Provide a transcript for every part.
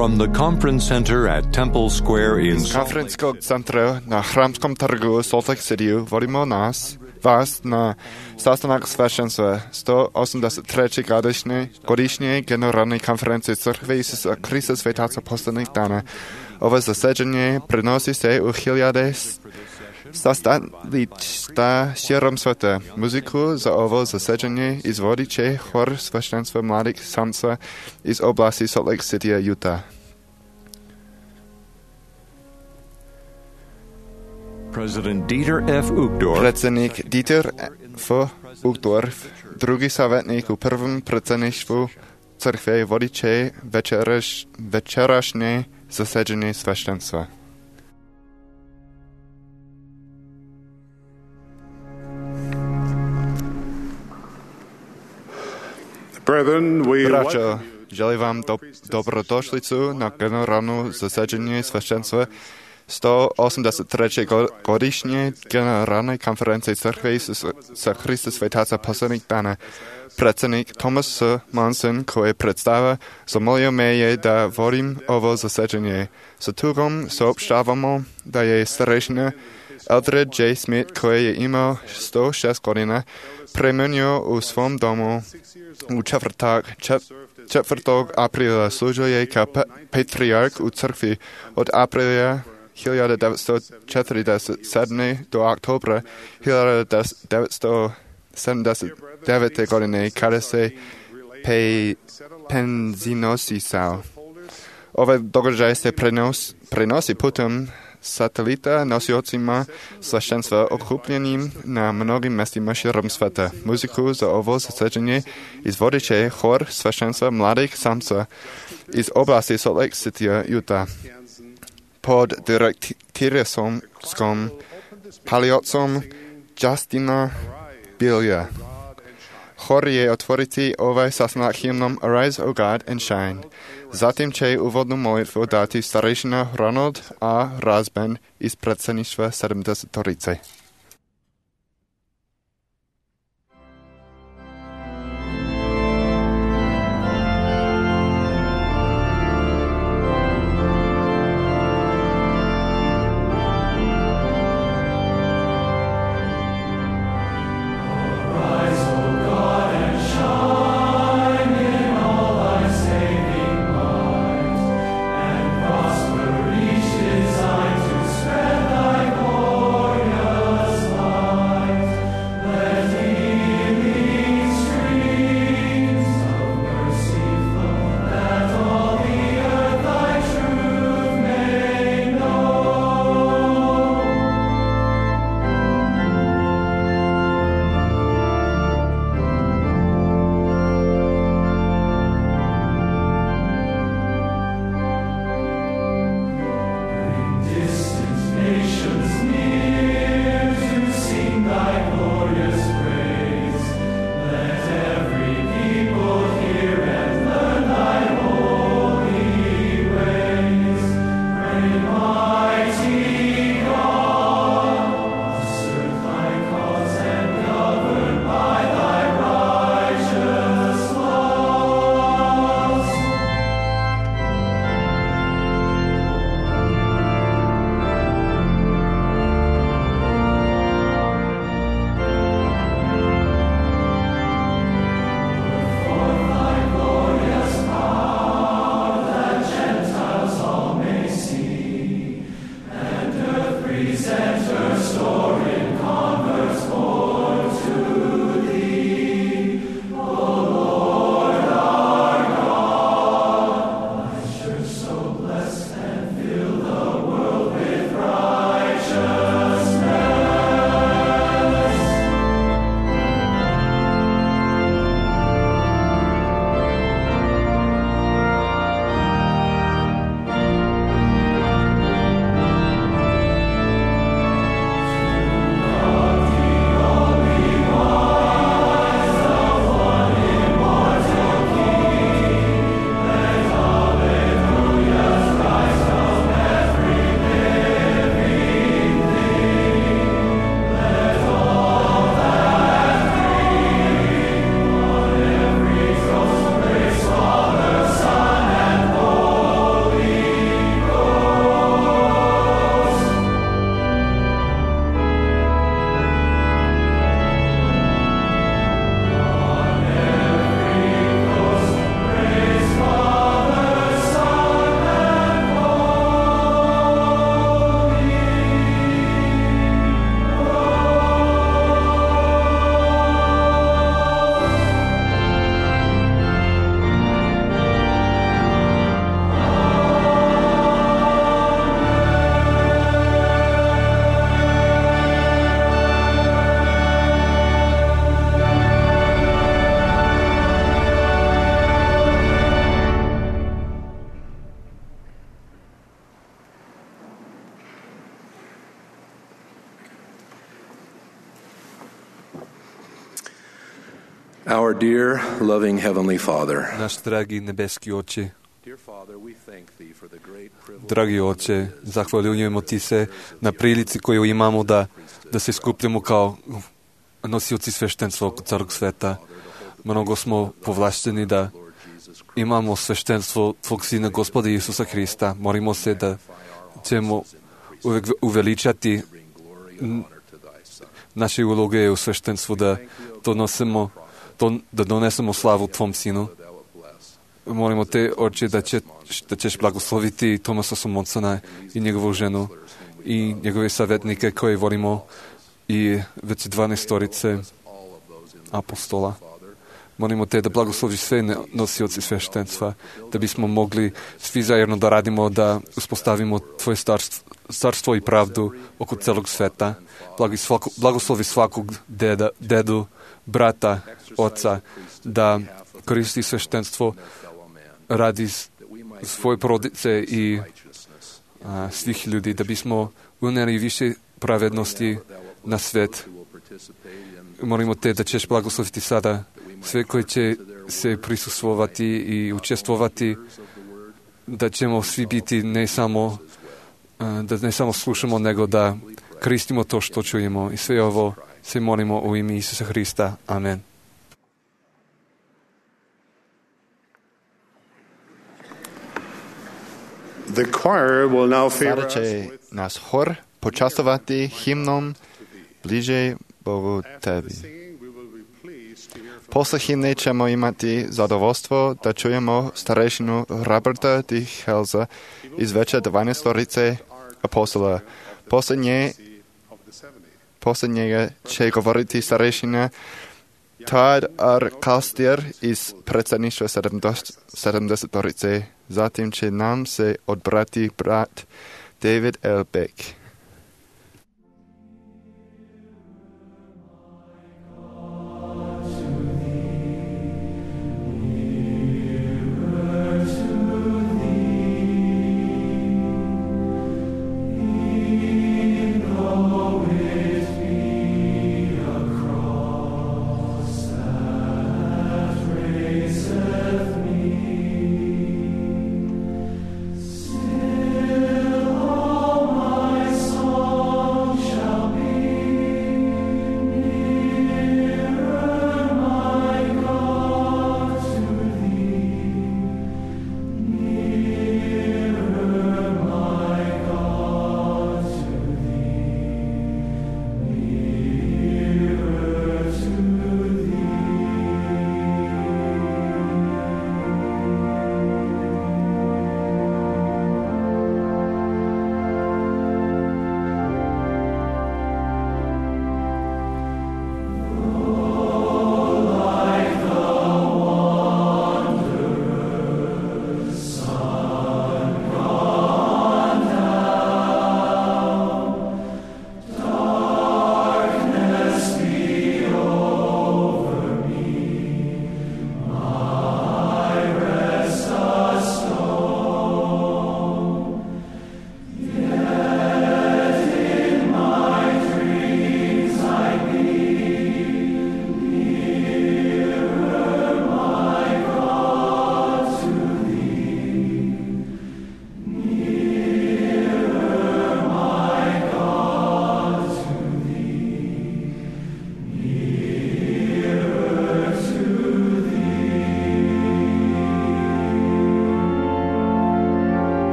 From the conference center at Temple Square in Konferenčského centra na Chrámskom trhu Salt Lake City volíme vás na sastanak svešenstva 183. godišnje generální konference Církve Isusa Krista Světáca posledních dánů. Ovo zasedání přenosí se uchyliade sastaličta širom světa. Muziku za ovo zasedání izvodiče chor svešenstva mladých samca iz oblasti Salt Lake City a Utah. President Dieter F. Uchtdorf, Predsedník Dieter F. Uchtdorf, druhý savetník u prvním predsednictvu církve vodiče večerašné zasedení sveštenstva. Braťo, želím vám dobrodošlicu na generálnu zasedení sveštenstva 183. godišnje generálnej konferencie Církve Isusa Krista Světáca posledních dánů. Predsedník Thomas Monson, koji predstava, zamolio me je da vodim ovo zasedanje. Sa tugom saopštavamo da je starešina Eldred J. Smith, koji je imao 106 godina, premenio u svom domu u četvrtak 4. aprila. Služio je kao patriark u crkvi od aprila 1947. do oktobra 1979. godine, kada se penzinosisao. Ovaj događaj se prenosi putem satelita nosiocima sveštenstva okupljenim na mnogim mestima širom sveta. Muziku za ovo zasedanje izvodiče chor sveštenstva mladých samca iz oblasti Salt Lake City, Utah. Pod direktiresom paliocom Justina Bilja. Chor je otvoriti ovaj sastanak hymnom Arise, O God, and Shine. Zatim će uvodnu molitvu dati starešina Ronald A. Rasband iz predsedništva 70-torice. Glorious Our dear, loving Heavenly Father, Naš dragi nebeski Oče, dear Father, we thank Thee for the great privilege dragi Oče, zahvaljujemo Ti se na prilici koju imamo da se skupljamo kao nosioci sveštenstva oko Carog sveta. Mnogo smo povlašteni da imamo sveštenstvo Tvog Sina Gospoda Isusa Hrista. Molimo se da ćemo uvek uveličati naše uloge u sveštenstvu, da donesemo slavu Tvom Sinu. Molimo Te, Oče, da ćeš blagosloviti Tomasa Somonsona i njegovu ženu i njegove savjetnike koje volimo i već 12 apostola. Molimo Te da blagosloviš sve nosioci sveštenstva, da bismo mogli svi zajedno da radimo, da uspostavimo Tvoje carstvo i pravdu oko celog sveta. Blagoslovi svakog dedu, brata, oca, da koristi sveštenstvo radi svoje porodice i svih ljudi, da bismo unijeli više pravednosti na svet. Molimo Te da ćeš blagosloviti sada sve koji će se prisustvovati i učestvovati, da ćemo svi biti da ne samo slušamo, nego da koristimo to što čujemo. I sve ovo se molimo u ime Isusa Hrista. Amen. Sada će nas hor počastovati himnom Bliže Bogu Tebi. Posle himne ćemo imati zadovoljstvo da čujemo starešinu Roberta D. Helza iz veće 12 apostola. Posle njega će govoriti starešina Todd R. Kastier iz predsjedništva 70. Zatim će nam se odbrati brat David L. Beck. Still all my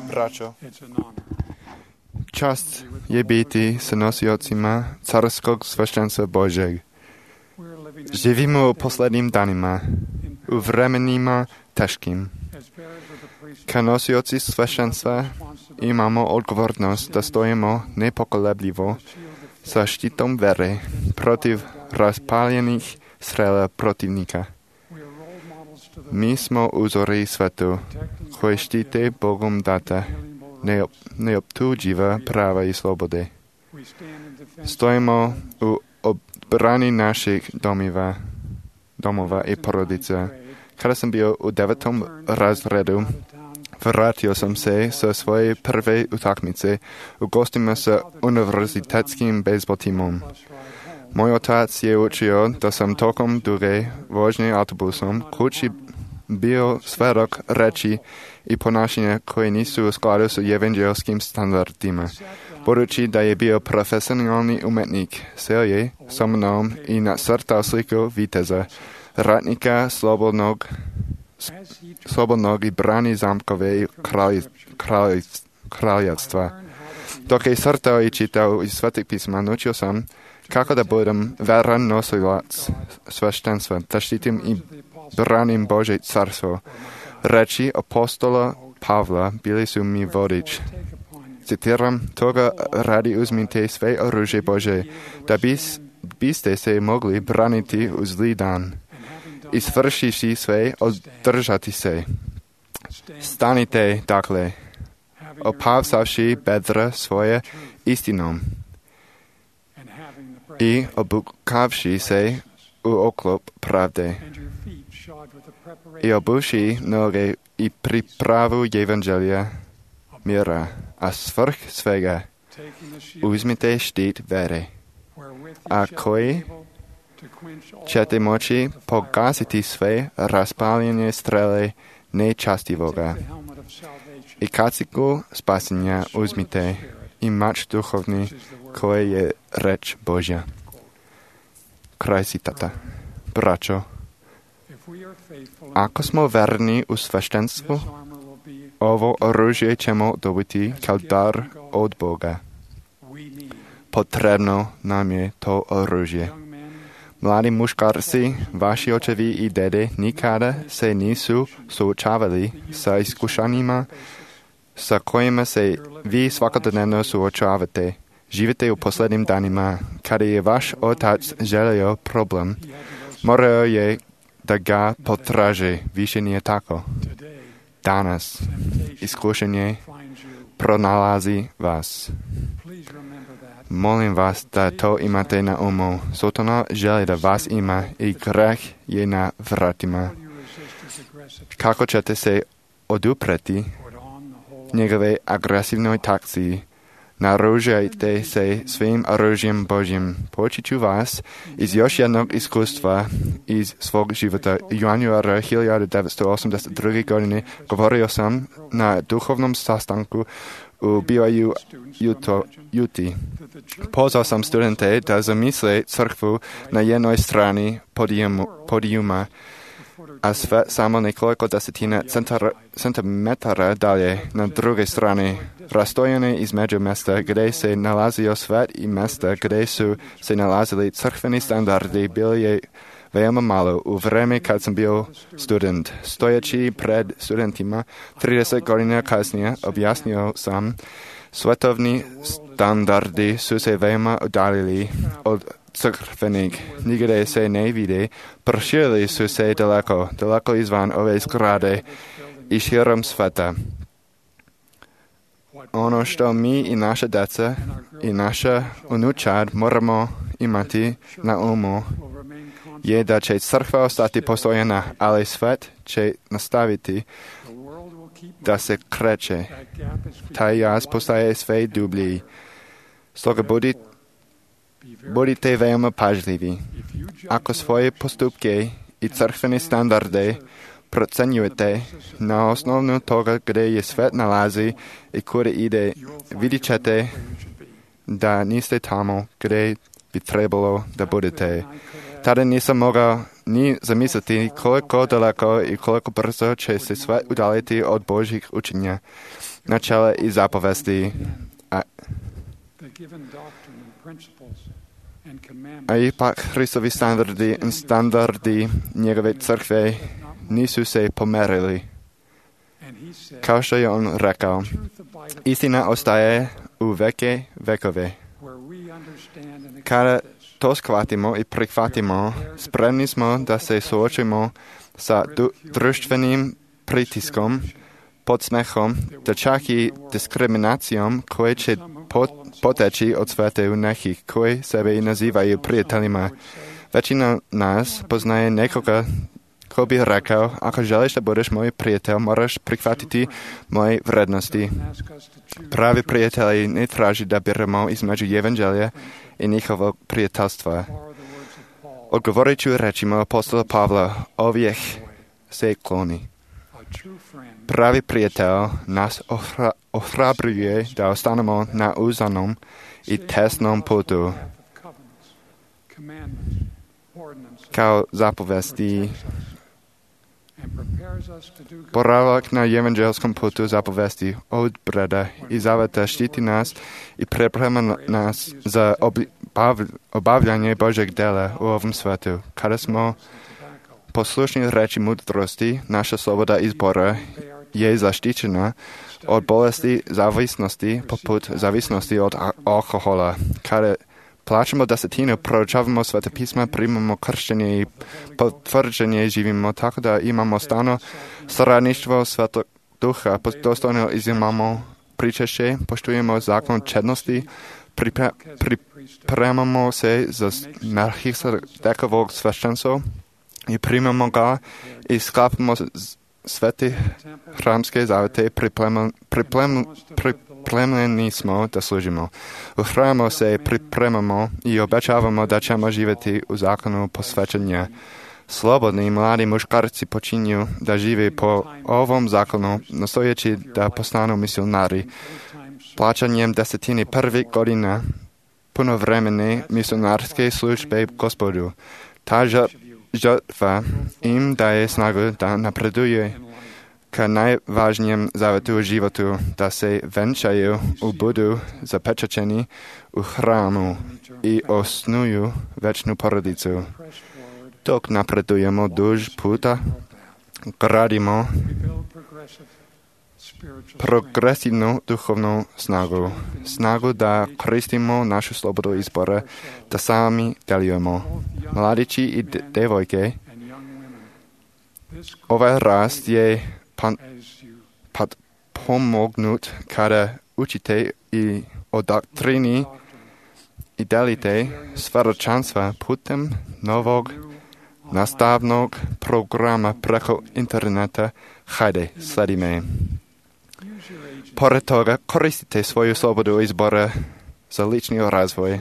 Braćo, čast je biti sa nosiocima carskog sveštenstva Božeg. Živimo u posljednjim danima, u vremenima teškim. Kao nosioci sveštenstva imamo odgovornost da stojimo nepokolebljivo sa štitom vere protiv raspaljenih strela protivnika. Mi smo uzori svetu koji štite Bogom data neoptuživa prava i slobode. Stojimo u obrani naših domova i porodica. Kada sam bio u 9. razredu, vratio sam se sa svoje prve utakmice u gostima sa univerzitetskim bejzbol timom. Moj otac je učio da sam tokom duge vožnje autobusom kući bio svedok reči i ponašanja koje nisu u skladu s evanđelskim standardima. Budući da je bio profesionalni umetnik, seo je sa mnom i nacrtao sliku viteza, ratnika slobodnog i brani zamkove i kraljevstva. Dok je crtao i čitao iz Svetih pisma, naučio sam kako da budem veran nosilac sveštenstva, da štitim i branim Božje carstvo. Reči apostola Pavla bili su mi vodič. Citiram, toga radi uzmite sve oružje Bože, da biste se mogli braniti u zli dan. I svršiši sve, održati se. Stanite, dakle, opavsavši bedra svoje istinom i obukavši se u oklop pravde i obuši noge i pripravu evanđelja mira, a svrh svega uzmite štit vere, a koji ćete moći pogasiti sve raspaljenje strele nečastivoga. I kaciku spasenja uzmite i mač duhovni koji je reč Božja. Kraj citata. Braćo, ako smo verni u sveštenstvu, ovo oružje ćemo dobiti kao dar od Boga. Potrebno nam je to oružje. Mladi muškarci, vaši očevi i dede nikada se nisu suočavali sa iskušanjima sa kojima se vi svakodnevno suočavate. Živite u posljednjim danima. Kada je vaš otac želio problem, morao je da ga potraže. Više nije tako. Danas iskušenje pronalazi vas. Molim vas da to imate na umu. Sotona želi da vas ima i greh je na vratima. Kako ćete se odupreti njegove agresivnoj takciji? Naoružajte se svim oružjem Božjim. Poučit ću vas iz još jednog iskustva iz svog života. Januara 1982. godine govorio sam na duhovnom sastanku u BYU Utah. Pozvao sam studente da zamisle crkvu na jednoj strani podijuma, a sve samo nekoliko desetina centimetara dalje na druge strane, rastojene između mjesta gdje se nalazio svet i mjesta gdje su se nalazili crkveni standardi bili je veoma malo u vrijeme kad sam bio student. Stojeći pred studentima 30 godina kasnije objasnio sam, svetovni standardi su se veoma udaljili od crkvenih, nigdje se ne vide, proširili su se daleko izvan ove zgrade i širom sveta. Ono što mi i naša djeca i naša unučad moramo imati na umu je da će crkva ostati postojena, ali svet će nastaviti da se kreće. Taj jaz postaje sve dublji. Stoga budite veoma pažljivi. Ako svoje postupke i crkvene standarde procenjujete na osnovu toga gdje je svet nalazi i kuda ide, vidjet ćete da niste tamo gdje bi trebalo da budete. Tady nisam mogao ni zamisliti koliko daleko i koliko brzo će se sve udaliti od Božjih učenja, načela i zapovesti. A ipak Hristovi standardi njegove crkve nisu se pomerili. Kao što je on rekao, istina ostaje u veke vekove. Kada to shvatimo i prihvatimo, spremni smo da se suočimo sa društvenim pritiskom, podsmehom, da čak i diskriminacijom koje će poteći od svete u nekih koji sebe i nazivaju prijateljima. Većina nas poznaje nekoga ko bi rekao, ako želiš da budeš moj prijatelj, moraš prihvatiti moje vrednosti. Pravi prijatelji ne traži da biramo između evanđelja i njihovog prijateljstva. Odgovorit ću rečima apostola Pavla, ovih se kloni. Pravi prijatelj nas ohrabruje da ostanemo na uzanom i tesnom putu. Kao zapovesti, boravak na evanđelskom putu zapovesti od breda i zaveta štiti nas i priprema nas za obavljanje Božeg dela u ovom svetu. Kada smo poslušni reči mudrosti, naša sloboda izbora je zaštićena od bolesti zavisnosti, poput zavisnosti od alkohola. Kada plaćamo desetinu, proučavamo Sveta pisma, primamo krštenje i potvrđenje, živimo tako da imamo stalno saradništvo Svetog Duha, dostojno izimamo pričešće, poštujemo zakon čednosti, pripremamo se za Melchisedecovog sveštenstvo i primamo ga i sklapamo svete hramske zavete, pripremljeni smo da služimo. U hramu se pripremamo i obećavamo da ćemo živjeti u zakonu posvećenja. Slobodni mladi muškarci počinju da žive po ovom zakonu, nastojeći da postanu misionari. Plaćanjem desetini prvih godina punovremene misionarske službe Gospodu. Ta žrtva im daje snagu da napreduje ka najvažnijem zavetu u životu, da se venčaju u budu zapečaćeni u hramu i osnuju večnu porodicu. Dok napredujemo duž puta, gradimo progresivnu duhovnu snagu da koristimo našu slobodu izbora, da sami delujemo. Mladići i devojke, ovaj rast je pomognut kada učite i o doktrini i delite svjedočanstva putem novog nastavnog programa preko interneta. Hajde, sledi me. Pored toga, koristite svoju slobodu izbora za lični razvoj.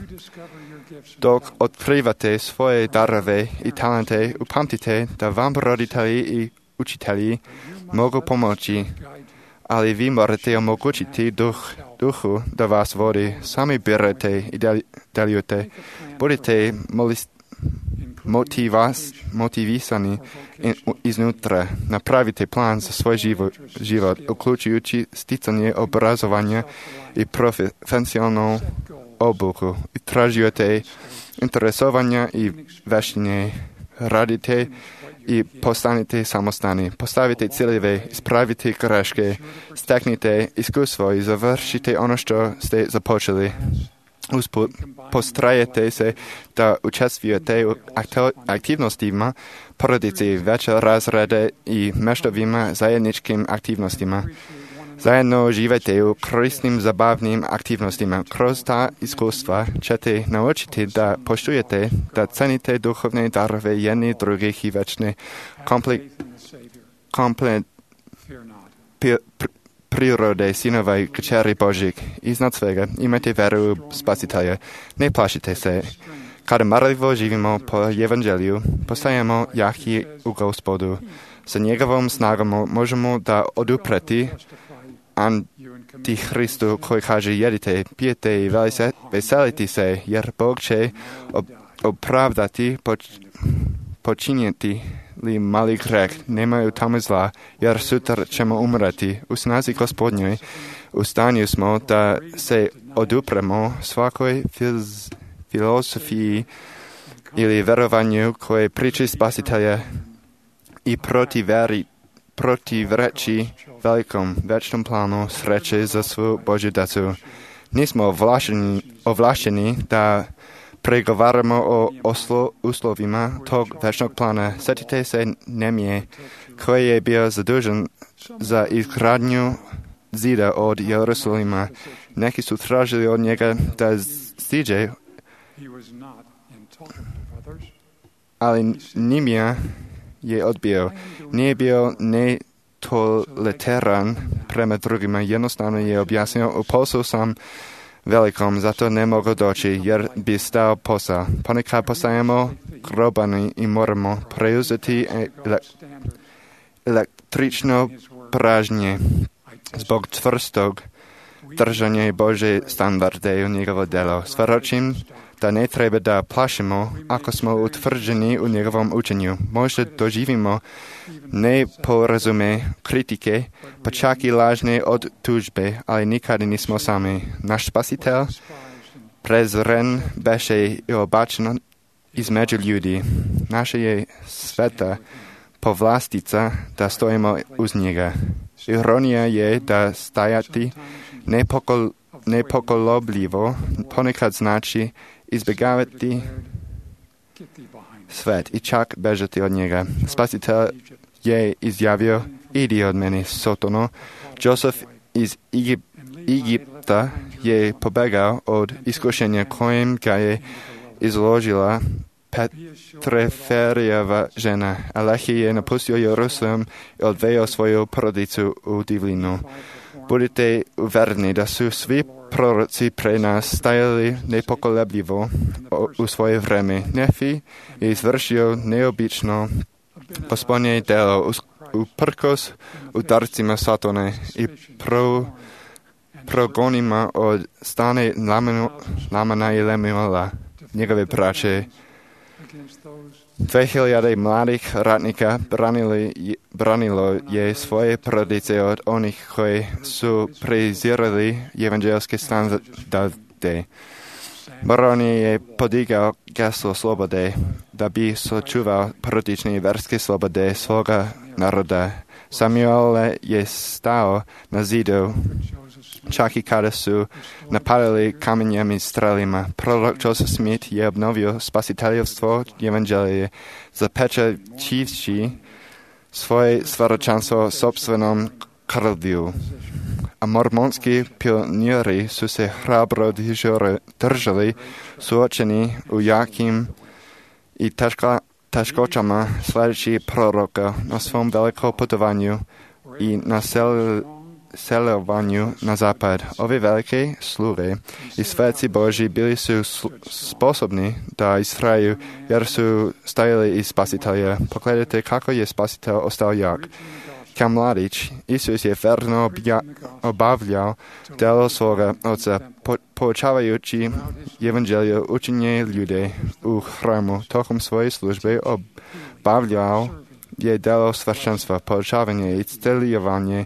Dok otkrivate svoje darove i talente, upamtite da vam roditelji i učitelji mogu pomoći, ali vi morate omogućiti duhu da vas vodi. Sami birate i delujete. Budite motivisani iznutra. Napravite plan za svoj život, uključujući sticanje obrazovanja i profesionalnu obuku. Tražujete interesovanja i vještine. Radite i postanite samostani. Postavite ciljeve, ispravite greške, steknite iskustvo i završite ono što ste započeli. Usput, postrajete se da učestvujete u aktivnostima porodice, veće razrede i meštovima zajedničkim aktivnostima. Zajedno živite u korisnim, zabavnim aktivnostima. Kroz ta iskustva ćete naučiti da poštujete, da cenite duhovne darove jedni drugih i večne prirode sinova i kćeri Božjih. Iznad svega imajte veru u Spasitelja. Ne plašite se. Kada marljivo živimo po evanđelju, postajemo jaki u Gospodu. Sa njegovom snagom možemo da odupreti Antihristu koji kaže jedite, pijete i veselite se, jer Bog će opravdati počinjeti li mali greh, nemaju tamo zla, jer sutra ćemo umrati. U snazi Gospodnjoj, u stanju smo da se odupremo svakoj filozofiji ili verovanju koje priči Spasitelja i protivreči velikom večnom planu sreće za svu Božju djecu. Nismo ovlašteni da pregovaramo o uslovima tog večnog plana. Sjetite se Nemije, koji je bio zadužen za izgradnju zida od Jerusalima. Neki su tražili od njega da siđe, ali Nimija je odbio. Nije bio netoleran prema drugima. Jednostavno je objasnio, u poslu sam velikom, zato ne mogu doći, jer bi stao posao. Ponekad postajemo grobani i moramo preuzeti električno pražnje zbog čvrstog držanja Božje standarde u njegovo delo. Svjedočim da ne treba da plašimo ako smo utvrđeni u njegovom učenju. Možda doživimo neporazume, kritike, pa čak i lažne od tužbe, ali nikada nismo sami. Naš Spasitelj prezren beše i obačen između ljudi. Naša je sveta povlastica da stojimo uz njega. Ironija je da stajati nepokolobljivo ponekad znači izbjegavati svet i čak bežati od njega. Spasitelj je izjavio, idi od mene, Sotono. Josef iz Egipta je pobegao od iskušenja kojem ga je izložila Petreferijeva žena. Alehi je napustio Jerusalem i odveo svoju porodicu u divljinu. Budite uvereni da su svi proroci pre nas stajali nepokolebljivo u svoje vreme. Nefi je izvršio neobično Gospodnje delo uprkos udarcima Satane i progonima od strane Lamana i Lemuela, njegove braće. 2000 mladih ratnika branilo je svoje porodice od onih koji su prezirali evanđelske standarde. Baron je podigao geslo slobode da bi sačuvao porodične i verske slobode svoga naroda. Samuel je stao na zidu čak i kada su napadali kamenjem i strelima. Prorok Joseph Smith je obnovio spasiteljstvo evanđelije, zapečaćivši svoje svjedočanstvo sopstvenom krvlju. A mormonski pioniri su se hrabro držali suočeni u jakim i teškoćama sljedeći proroka na svom velikom putovanju i na selovanju na zapad. Ove velike sluge i sveci Božji bili su sposobni da istraju jer su stajali iz Spasitelja. Pogledajte kako je Spasitelj ostao jak. Kao mladić, Isus je verno obavljao delo svoga oca, poučavajući evanđelje učenje ljude u hramu. Tokom svoje službe obavljao je delo svršenstva, poučavanje i isceljivanje,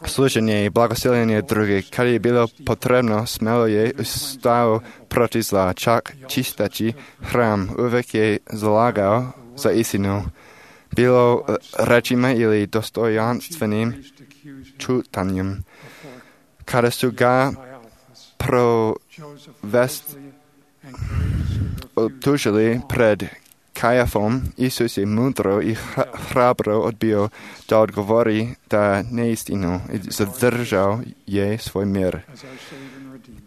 služenje i blagosiljenje drugih. Kad je bilo potrebno, smelo je stao protiv zla, čak čisteći hram. Uvijek je zalagao za istinu. Bilo rečima ili dostojanstvenim čutanjem. Kada su ga optužili pred Kajafom, Isus je mudro i hrabro odbio da odgovori da neistinu i zadržao je svoj mir.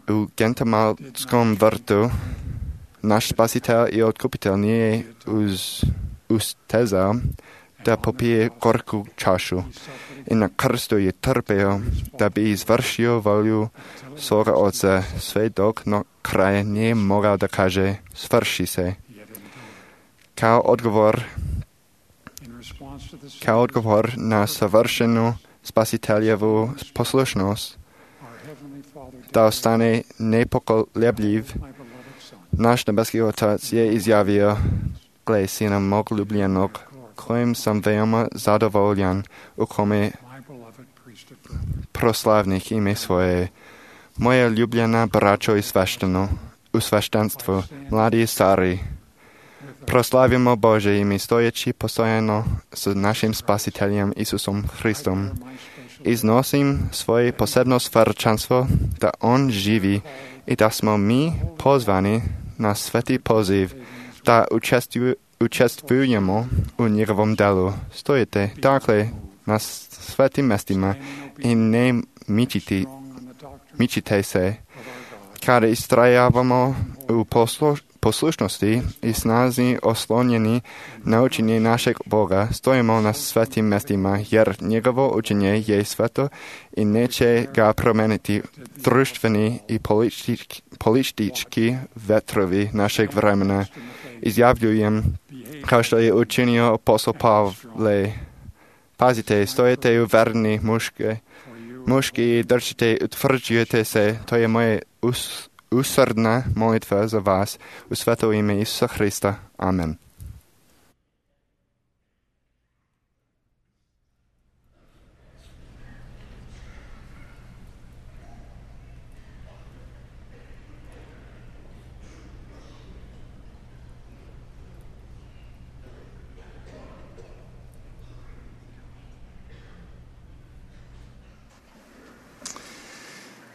U Gentamalskom vrtu naš Spasitelj i Otkupitelj nije ustezao da popije gorku čašu i na krstu je trpeo da bi izvršio volju svoga oca, sve dok na kraju nije mogao da kaže svrši se. Kao odgovor na savršenu Spasiteljevu poslušnost, da ostane nepokolebljiv, Náš nebeský Otec je izjavil, gle, syna mog ľúblenok, ktorým som veľmi zadovoljen, ukomi proslavných ime svoje. Moje ľúblená bračo i sveštenstvo, mladí i starí. Proslavimo Bože imi stojeći postojeno s našim spasiteljem Isusom Hristom. Iznosim svoje posebno svrčanstvo, da On živi i da smo mi pozvani na sveti poziv, da učestvujemo u njegovom delu. Stojite, dakle, na svetim mestima i ne mičite se. Kada istrajavamo u poslušnosti i snazi oslonjeni na učenje našeg Boga, stojimo na svetim mestima, jer njegovo učenje je sveto i neće ga promeniti društveni i politički vetrovi našeg vremena. Izjavljujem, kao što je učinio apostol Pavle. Pazite, stojite u verni muški, držite, utvrđujete se, to je moje usrdna molitva za vas u sveto ime Isusa Hrista. Amen.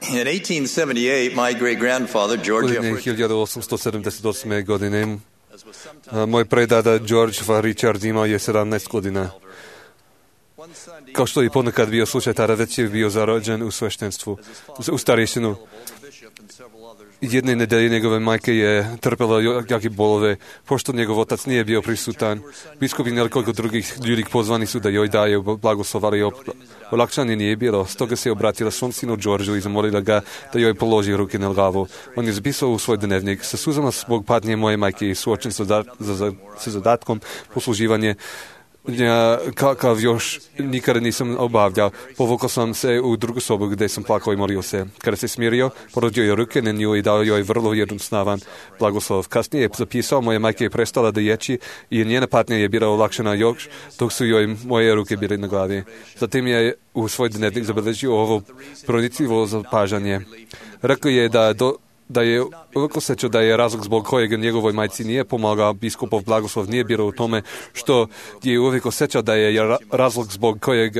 In 1878, my great-grandfather, George Godine 1878. godine moj predada George Richard imao je 17 godina. Kao što je ponekad bio slučaj, tada već je bio zarođen u sveštenstvu, u starješinu. Jedne nedelje njegove majke je trpela jake bolove, pošto njegov otac nije bio prisutan. Biskup i nekoliko drugih ljudi pozvani su da joj daju blagoslov, ali olakšanje nije bilo. Stoga se obratila svom sinu Georgeu i zamolila ga da joj položi ruke na glavu. On je zapisao u svoj dnevnik: sa suzama zbog patnje moje majke i suočen sa zadatkom posluživanje kakav još nikada nisam obavljao. Povukao sam se u drugu sobu gdje sam plakao i molio se. Kada se smirio, porodio je ruke na nju i dao joj vrlo jednostavan blagoslov. Kasnije je zapisao: moja majka je prestala da ječi i njena patnja je bila olakšana još dok su joj moje ruke bile na glavi. Zatim je u svoj dnevnik zabeležio ovo pronicljivo zapažanje. Rekao je da je uvijek osjećao da je razlog zbog kojeg njegovoj majci nije pomagao biskupov blagoslov nije bilo u tome što je uvijek osjećao da je razlog zbog kojeg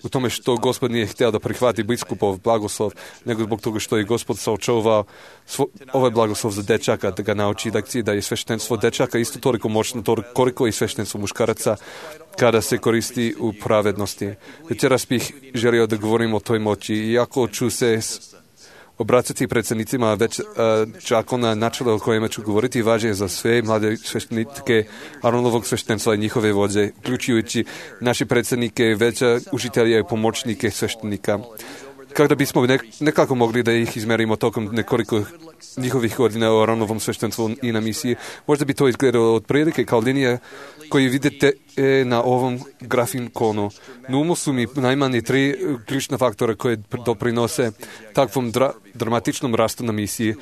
u tome što Gospod nije htio da prihvati biskupov blagoslov, nego zbog toga što je Gospod saočuvao ovaj blagoslov za dečaka, da ga nauči da je sveštenstvo dečaka isto toliko moćno koliko i sveštenstvo muškaraca kada se koristi u pravednosti. Večeras bih želio da govorim o toj moći, iako ću se obracati predsjednicima već čakona načela o kojima ću govoriti važnije za sve mlade sveštenike Aronovog sveštenstva i njihove vođe, uključujući naši predsjednike, veća učitelje i pomoćnike sveštenika. Kada bismo nekako mogli da ih izmerimo tokom nekoliko njihovih godina u Aronovom sveštenstvu i na misiji, možda bi to izgledalo otprilike kao linija koju vidite na ovom grafikonu. Na umu su mi najmanje 3 ključna faktora koje doprinose takvom dramatičnom rastu na misiji.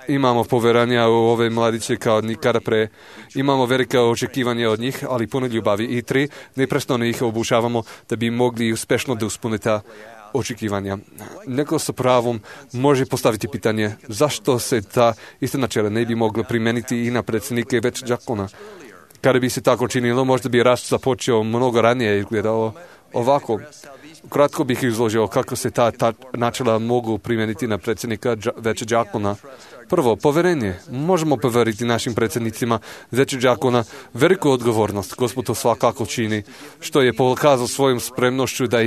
Imamo poveranja u ove mladiće kao nikada pre. Imamo velika očekivanja od njih, ali puno ljubavi. I 3, neprestano ih obučavamo da bi mogli uspešno da ispune ta očekivanja. Neko sa pravom može postaviti pitanje zašto se ta ista načela ne bi mogla primeniti i na predsjednike već đakona. Kada bi se tako činilo, možda bi rast započeo mnogo ranije i izgledao ovako. Kratko bih izložio kako se ta načela mogu primijeniti na predsjednika veće đakona. Prvo, poverenje. Možemo poveriti našim predsjednicima veće đakona veliku odgovornost. Gospod to svakako čini, što je pokazao svojom spremnošću da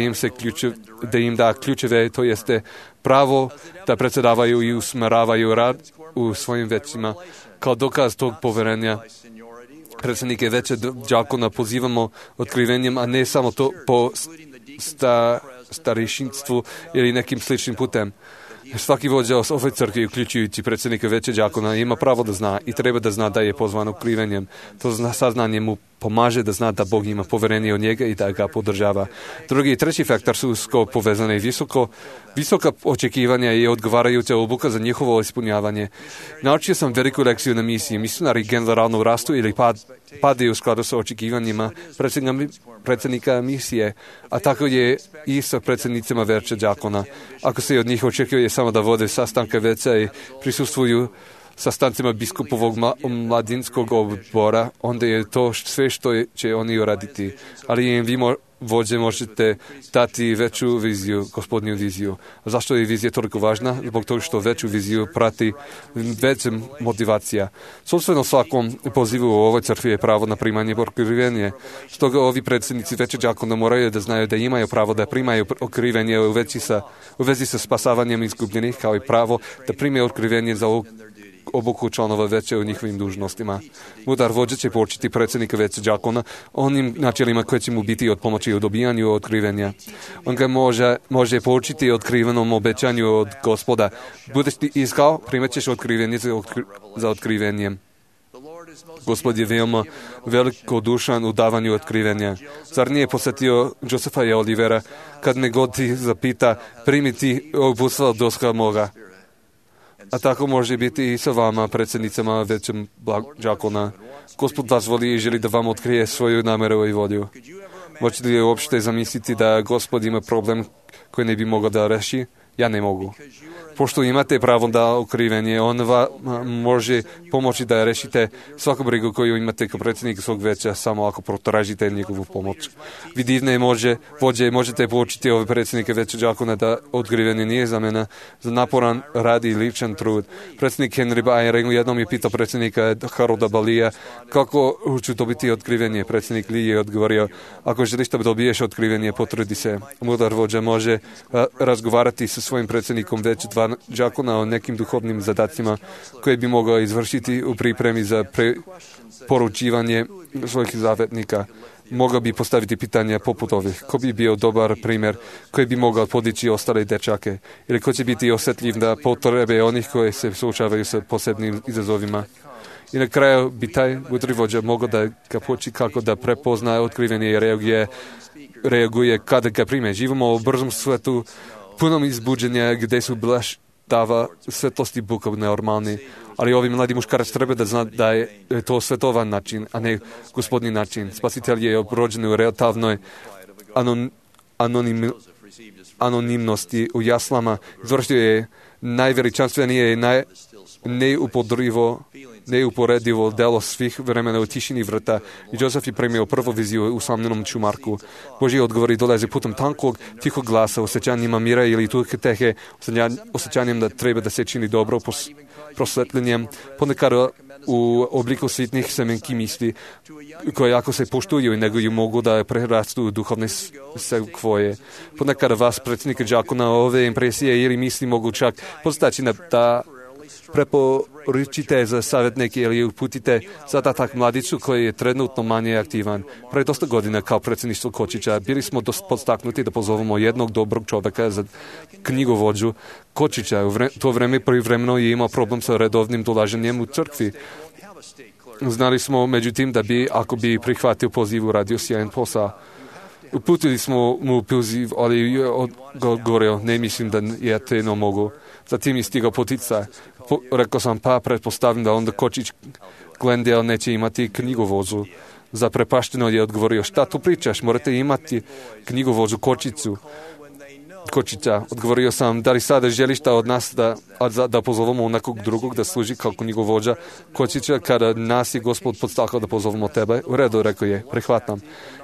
im da ključeve, to jeste pravo da predsjedavaju i usmeravaju rad u svojim većima. Kao dokaz tog poverenja, predsjednike veće đakona pozivamo otkrivenjem, a ne samo to po starešinstvu ili nekim sličnim putem. Svaki vođa ove crkve, uključujući predsjednika veće đakona, ima pravo da zna i treba da zna da je pozvan otkrivenjem. To saznanje mu pomaže da zna da Bog ima poverenje od njega i da ga podržava. Drugi i treći faktor su usko povezane. Visoka očekivanja i odgovarajuća obuka za njihovo ispunjavanje. Naučio sam veliku lekciju na misiji. Misionari generalno rastu ili padaju u skladu sa očekivanjima predsjednika misije, a tako je i sa predsjednicima veća đakona. Ako se od njih očekuje samo da vode sastanke veća i prisustvuju sastancima biskupovog mladinskog odbora, onda je to sve što će oni uraditi. Ali im vi vođe možete dati veću viziju, gospodnju viziju. A zašto je vizija toliko važna? Zbog toga što veću viziju prati veća motivacija. Sobstveno svakom pozivu u ovoj crkvi je pravo na primanje otkrivenja. Stoga ovi predsjednici veće đakona moraju da znaju da imaju pravo da primaju otkrivenje u vezi sa spasavanjem izgubljenih, kao i pravo da primaju otkrivenje za obuku članova veće u njihovim dužnostima. Mudar vođa će poučiti predsjednika veće đakona onim načelima koje će mu biti od pomoći u dobijanju otkrivenja. On ga može poučiti otkrivenom obećanju od Gospoda. Budeš ti iskao, primat ćeš otkrivenje za otkrivenjem. Gospod je veoma velikodušan u davanju otkrivenja. Zar nije posjetio Josefa i Olivera kad me god ti zapita primiti uputstva od doska moga? A tako može biti i sa vama, predsjednicama većem đakona. Gospod vas voli i želi da vam otkrije svoju nameru i volju. Možete li uopšte zamisliti da Gospod ima problem koji ne bi mogao da reši? Ja ne mogu. Pošto imate pravo da otkrivenje, on vam može pomoći da rešite svaku brigu koju imate kao predsjednik svog veća, samo ako potražite njegovu pomoć. Vi divne vođe možete poučiti ove predsjednike veća đakona da otkrivenje nije zamena za naporan rad i ličan trud. Predsjednik Henry Eyring jednom je pitao predsjednika Harolda Balija kako ću dobiti otkrivenje. Predsjednik Lee je odgovorio, ako želiš da dobiješ otkrivenje, potrudi se. Mudar vođa može razgovarati sa svojim predsjednikom veća đakona o nekim duhovnim zadacima koje bi mogao izvršiti u pripremi za poručivanje svojih zavetnika. Mogao bi postaviti pitanja poput ovih. Ko bi bio dobar primjer koji bi mogao podići ostale dečake? Ili ko će biti osjetljiv na potrebe onih koji se suočavaju sa posebnim izazovima? I na kraju bi taj mudri vođa mogao da ga poči kako da prepozna otkrivenje i reaguje kada ga prime. Živimo u brzom svetu punom izbuđenja gdje su blaštava svetlosti Boga normalni, ali ovi mladi muškarac treba da zna da je to svetovan način, a ne gospodni način. Spasitelj je rođen u relativnoj anonimnosti u jaslama, izvršio je najveličanstvenije i neuporedivo delo svih vremena u tišini vrta i Josef je primio prvu viziju u usamljenom čumarku. Božji odgovori dolaze putem tankog, tihog glasa, osjećanjima mira ili tehe, osjećanjem da treba da se čini dobro, prosvetljenjem, ponekad u obliku sitnih semenki misli, koje ako se poštuju i neguju mogu da prerastu u duhovne sekvoje. Ponekad vas, predsjednika đakona, ove impresije ili misli mogu čak postaći da preporučite za savjetnike ili uputite zadatak mladiću koji je trenutno manje aktivan. Pre dosta godina kao predsjedništvo Kočića bili smo podstaknuti da pozovemo jednog dobrog čovjeka za knjigovođu Kočića. U to vreme privremeno je imao problem sa redovnim dolaženjem u crkvi. Znali smo međutim da bi, ako bi prihvatio poziv, uradio sjajan posao. Uputili smo mu poziv, ali je odgovorio, ne mislim da ja te ne mogu. Zatim je stigao poticaj. Rekao sam, pretpostavljam da onda Kočić Glendale neće imati knjigovođu. Zaprepašteno je odgovorio, šta tu pričaš, morate imati knjigovođu Kočića. Odgovorio sam, da li sada želiš da od nas da pozovemo nekog drugog da služi kao knjigovođa Kočića kada nas je Gospod podstakao da pozovemo tebe? U redu, rekao je, prihvatam.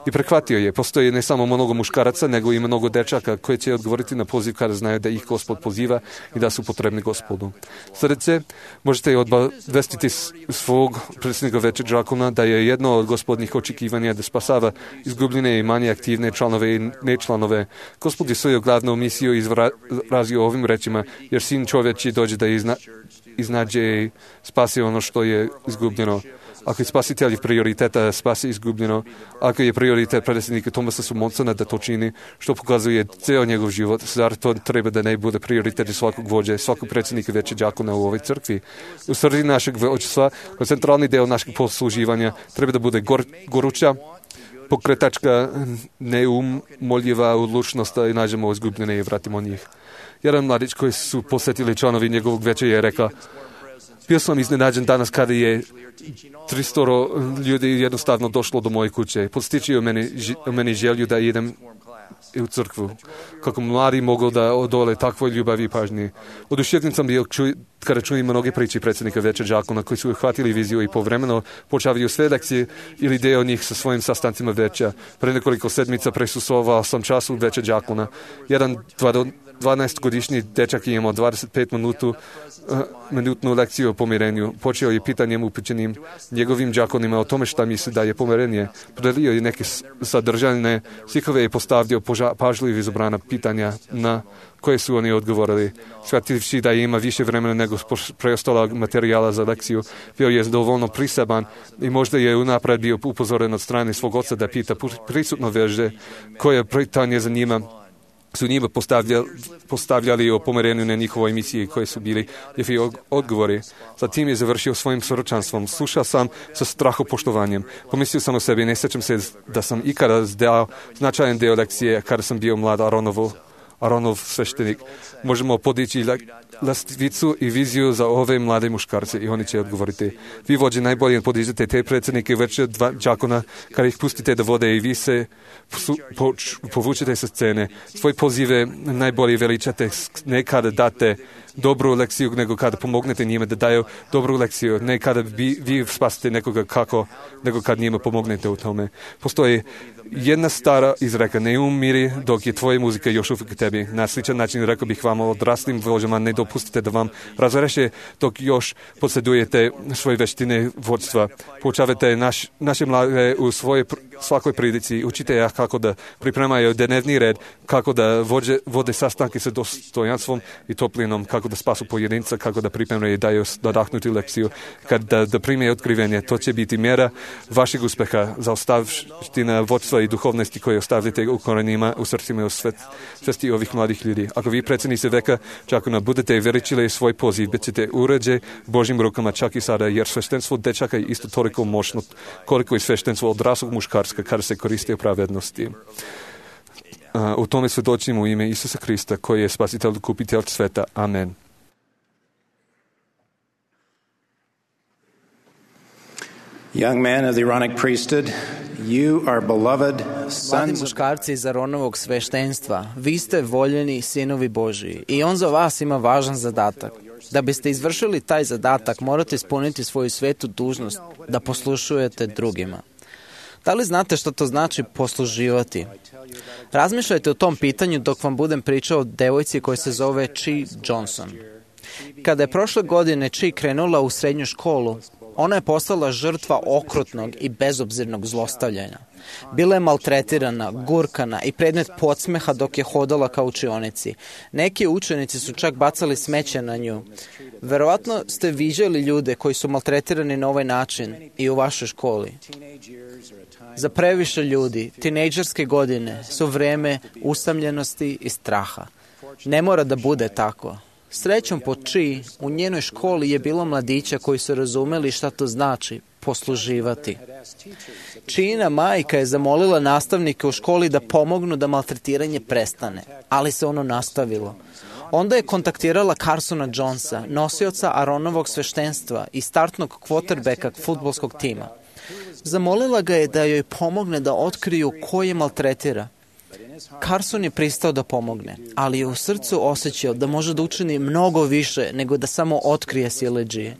I prihvatio je. Postoji ne samo mnogo muškaraca, nego i mnogo dečaka koji će odgovoriti na poziv kada znaju da ih Gospod poziva i da su potrebni Gospodu. Sljedeće, možete obavestiti svog predsjednika veća đakona da je jedno od gospodnjih očekivanja da spasava izgubljene i manje aktivne članove i nečlanove. Gospod je svoju glavnu misiju izrazio ovim rečima, jer sin čovječi dođe da iznađe i spasi ono što je izgubljeno. Ako je spasitelj prioriteta spasi izgubljeno, ako je prioritet predsjednika Thomasa Smondsona da to čini, što pokazuje ceo njegov život, zar to treba da ne bude prioritet svakog vođe, svakog predsjednika veće đakona u ovoj crkvi. U srži našeg vođstva, kao centralni deo našeg posluživanja, treba da bude goruća, pokretačka, neumoljiva odlučnost da nađemo izgubljene i vratimo njih. Jedan mladić koji su posjetili članovi njegovog veća je rekao: bio sam iznenađen danas kada je 300 ljudi jednostavno došlo do moje kuće. Podstičio meni želju da idem u crkvu. Kako mladi mogu da odole takvoj ljubavi i pažnji. Oduševljen sam bio kada čujem mnoge priče predsjednika veća đakona koji su uhvatili viziju i povremeno počavaju sve lekcije ili deo njih sa svojim sastancima veća. Pre nekoliko sedmica prisustvovao sam času veća đakona. Jedan 12-godišnji dečak je imao 25-minutnu lekciju o pomirenju. Počeo je pitanjem upućenim njegovim đakonima o tome šta misli da je pomirenje. Podelio je neke sadržajne stihove i postavio pažljivo izabrana pitanja na koje su oni odgovorili. Shvativši da ima više vremena nego preostalog materijala za lekciju, bio je dovoljno priseban i možda je unapred bio upozoren od strane svog oca da pita prisutno veže koje pitanje za njima su njima postavljali o pomirenju na njihovoj emisiji koje su bili njihovi odgovori. Zatim je završio svojim svjedočanstvom. Slušao sam sa strahopoštovanjem. Pomislio sam o sebi, ne sjećam se da sam ikada dao značajan deo lekcije kada sam bio mlad Aronov sveštenik. Možemo podići lestvicu i viziju za ove mlade muškarce i oni će odgovoriti. Vi vođe najbolje podižete te predsjednike veće đakona kada ih pustite da vode i vi se povučete sa scene. Svoje pozive najbolje veličate, ne kada date dobru lekciju, nego kada pomognete njima da daju dobru lekciju, ne kada vi spasite nekoga kako, nego kad njima pomognete u tome. Postoji jedna stara izreka: ne umiri dok je tvoja muzika još uvijek tebi. Na sličan način rekao bih vam odraslim vođama: ne dopustite da vam razreše dok još posjedujete svoje veštine vodstva. Poučavate naše mlade u svakoj prilici. Učite ja kako da pripremaju dnevni red, kako da vode sastanke sa dostojanstvom i toplinom, kako da spasu pojedinca, kako da pripremaju i daju nadahnuti lekciju, kada da prime otkrivenje. To će biti mjera vašeg uspeha za ostavština vodstva i duhovnosti koje ostavljate u korenima, u srcima i u svesti ovih mladih ljudi. Ako vi predsjednici veka đakona budete veličili svoj poziv, bit ćete uređe Božjim rukama čak i sada, jer sveštenstvo dečaka je isto toliko moćno koliko i sveštenstvo odraslog muškarska kada se koristi u pravednosti. U tome svjedočimo u ime Isusa Krista koji je spasitelj, kupitelj sveta. Amen. Young man of the Aaronic priesthood, you are beloved Mladi sons of muškarci iz Aronovog sveštenstva, vi ste voljeni sinovi Božiji i on za vas ima važan zadatak. Da biste izvršili taj zadatak, morate ispuniti svoju svetu dužnost da poslušujete drugima. Da li znate što to znači posluživati? Razmišljajte o tom pitanju dok vam budem pričao o devojci koja se zove Chi Johnson. Kada je prošle godine Chi krenula u srednju školu, ona je postala žrtva okrutnog i bezobzirnog zlostavljanja. Bila je maltretirana, gurkana i predmet podsmeha dok je hodala ka učionici. Neki učenici su čak bacali smeće na nju. Verovatno ste viđali ljude koji su maltretirani na ovaj način i u vašoj školi. Za previše ljudi, tinejdžerske godine su vreme usamljenosti i straha. Ne mora da bude tako. Srećom po Chi, u njenoj školi je bilo mladića koji su razumeli šta to znači posluživati. China majka je zamolila nastavnike u školi da pomognu da maltretiranje prestane, ali se ono nastavilo. Onda je kontaktirala Carsona Jonesa, nosioca Aronovog sveštenstva i startnog quarterbacka fudbalskog tima. Zamolila ga je da joj pomogne da otkriju ko je maltretira. Carson je pristao da pomogne, ali je u srcu osjećao da može da učini mnogo više nego da samo otkrije siledžije.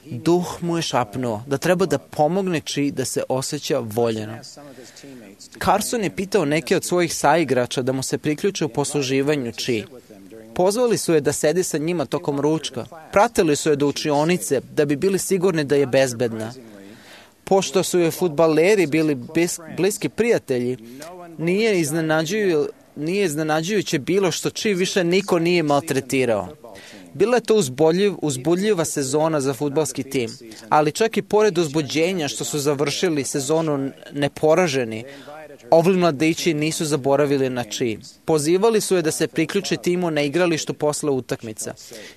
Duh mu je šapnuo da treba da pomogne Chi da se osjeća voljeno. Carson je pitao neke od svojih saigrača da mu se priključe u posluživanju Chi. Pozvali su je da sedi sa njima tokom ručka. Pratili su je do učionice da bi bili sigurni da je bezbedna. Pošto su je fudbaleri bili bliski prijatelji, nije iznenađujuće bilo što Chi više niko nije maltretirao. Bila je to uzbudljiva sezona za fudbalski tim, ali čak i pored uzbuđenja što su završili sezonu neporaženi, ovi mladići nisu zaboravili na Chi. Pozivali su je da se priključi timu na igralištu posle utakmica.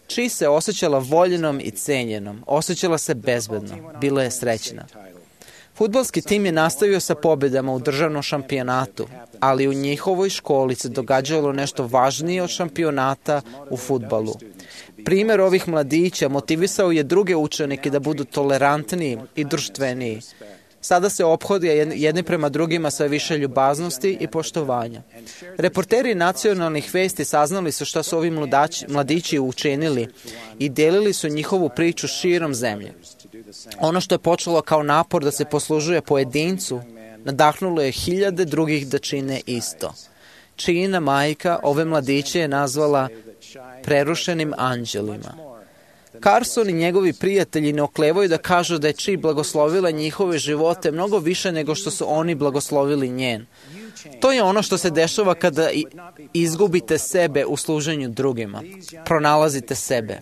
Chi se osjećala voljenom i cenjenom, osjećala se bezbedno, bila je srećna. Fudbalski tim je nastavio sa pobjedama u državnom šampionatu, ali u njihovoj školi se događalo nešto važnije od šampionata u fudbalu. Primer ovih mladića motivisao je druge učenike da budu tolerantniji i društveniji. Sada se ophodi jedni prema drugima sa više ljubaznosti i poštovanja. Reporteri nacionalnih vesti saznali su šta su ovi mladići učinili i delili su njihovu priču širom zemlje. Ono što je počelo kao napor da se poslužuje pojedincu, nadahnulo je hiljade drugih da čine isto. China majka ove mladiće je nazvala prerušenim anđelima. Carson i njegovi prijatelji ne oklevaju da kažu da je Chi blagoslovila njihove živote mnogo više nego što su oni blagoslovili njen. To je ono što se dešava kada izgubite sebe u služenju drugima. Pronalazite sebe.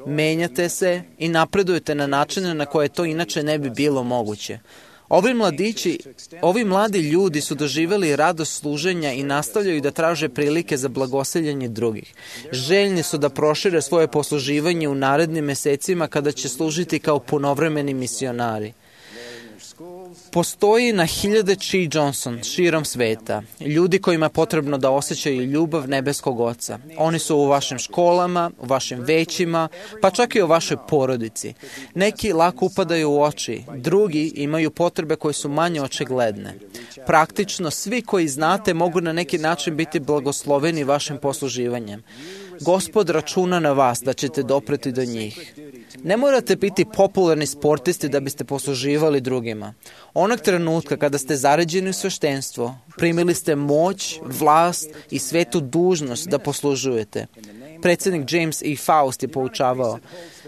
Menjate se i napredujete na načine na koje to inače ne bi bilo moguće. Ovi mladi ljudi su doživjeli radost služenja i nastavljaju da traže prilike za blagoseljenje drugih. Željni su da prošire svoje posluživanje u narednim mesecima kada će služiti kao punovremeni misionari. Postoji na hiljade Chi Johnson širom sveta, ljudi kojima je potrebno da osjećaju ljubav nebeskog Oca. Oni su u vašim školama, u vašim većima, pa čak i u vašoj porodici. Neki lako upadaju u oči, drugi imaju potrebe koje su manje očigledne. Praktično, svi koji znate mogu na neki način biti blagosloveni vašim posluživanjem. Gospod računa na vas da ćete dopreti do njih. Ne morate biti popularni sportisti da biste posluživali drugima. Onog trenutka kada ste zaređeni u sveštenstvo, primili ste moć, vlast i svetu dužnost da poslužujete. Predsjednik James E. Faust je poučavao: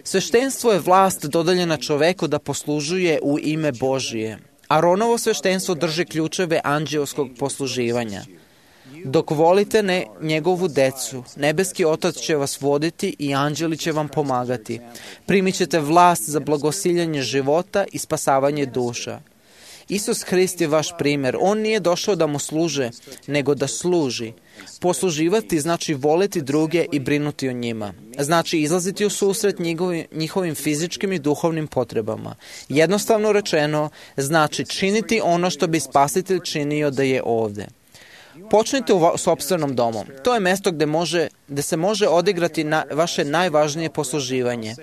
sveštenstvo je vlast dodeljena čoveku da poslužuje u ime Božije. Aronovo sveštenstvo drži ključeve anđeoskog posluživanja. Dok volite njegovu decu, nebeski Otac će vas voditi i anđeli će vam pomagati. Primit ćete vlast za blagosiljanje života i spasavanje duša. Isus Hrist je vaš primjer. On nije došao da mu služe, nego da služi. Posluživati znači voleti druge i brinuti o njima. Znači izlaziti u susret njihovim fizičkim i duhovnim potrebama. Jednostavno rečeno, znači činiti ono što bi Spasitelj činio da je ovde. Počnite u sopstvenom domu. To je mesto gde se može odigrati vaše najvažnije posluživanje.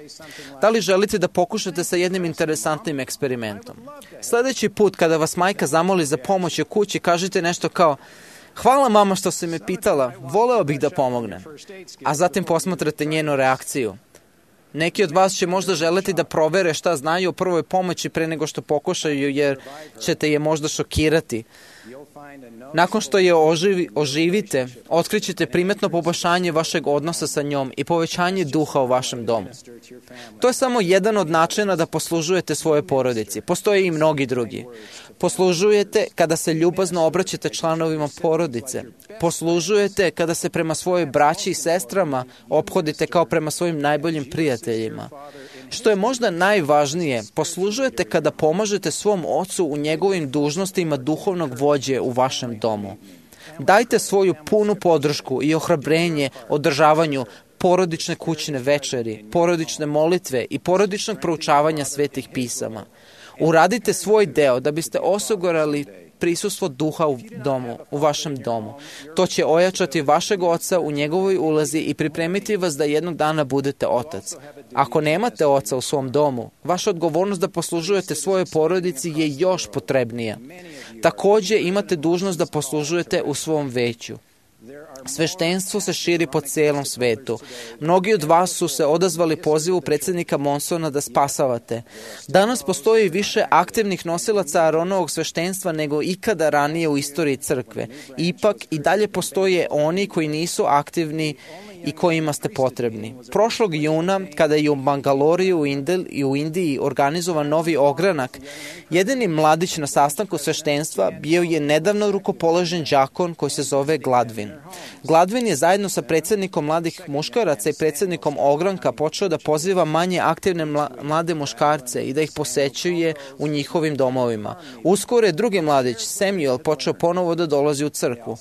Da li želite da pokušate sa jednim interesantnim eksperimentom? Sljedeći put kada vas majka zamoli za pomoć u kući, kažite nešto kao: hvala mama što si me pitala, voleo bih da pomognem. A zatim posmatrate njenu reakciju. Neki od vas će možda želeti da provere šta znaju o prvoj pomoći pre nego što pokušaju, jer ćete je možda šokirati. Nakon što je oživite, otkrićete primetno poboljšanje vašeg odnosa sa njom i povećanje duha u vašem domu. To je samo jedan od načina da poslužujete svoje porodici. Postoje i mnogi drugi. Poslužujete kada se ljubazno obraćate članovima porodice. Poslužujete kada se prema svojoj braći i sestrama ophodite kao prema svojim najboljim prijateljima. Što je možda najvažnije, poslužujete kada pomažete svom ocu u njegovim dužnostima duhovnog vođe u vašem domu. Dajte svoju punu podršku i ohrabrenje održavanju porodične kućne večeri, porodične molitve i porodičnog proučavanja svetih pisama. Uradite svoj deo da biste osigurali prisustvo duha u vašem domu. To će ojačati vašeg oca u njegovoj ulozi i pripremiti vas da jednog dana budete otac. Ako nemate oca u svom domu, vaša odgovornost da poslužujete svojoj porodici je još potrebnija. Također imate dužnost da poslužujete u svom veću. Sveštenstvo se širi po celom svetu. Mnogi od vas su se odazvali pozivu predsjednika Monsona da spasavate. Danas postoji više aktivnih nosilaca Aronovog sveštenstva nego ikada ranije u istoriji crkve. Ipak i dalje postoje oni koji nisu aktivni i kojima ste potrebni. Prošlog juna, kada je u Bangaloriju i u Indiji organizovan novi ogranak, jedini mladić na sastanku sveštenstva bio je nedavno rukopoložen đakon koji se zove Gladwin. Gladwin je zajedno sa predsjednikom mladih muškaraca i predsjednikom ogranka počeo da poziva manje aktivne mlade muškarce i da ih posećuje u njihovim domovima. Uskoro je drugi mladić, Samuel, počeo ponovo da dolazi u crkvu.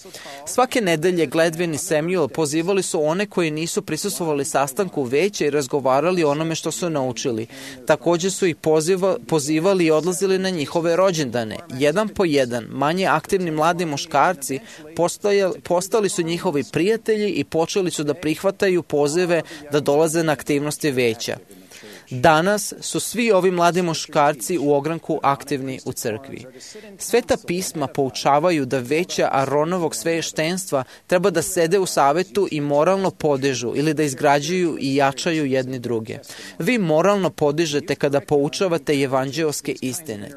Svake nedelje Gladwin i Samuel pozivali su one koji nisu prisustvovali sastanku veća i razgovarali o onome što su naučili. Također su ih pozivali i odlazili na njihove rođendane. Jedan po jedan, manje aktivni mladi muškarci postali su njihovi prijatelji i počeli su da prihvataju pozive da dolaze na aktivnosti veća. Danas su svi ovi mladi muškarci u ogranku aktivni u crkvi. Sveta pisma poučavaju da veća Aronovog sveštenstva treba da sede u savetu i moralno podižu ili da izgrađuju i jačaju jedni druge. Vi moralno podižete kada poučavate evanđeoske istine.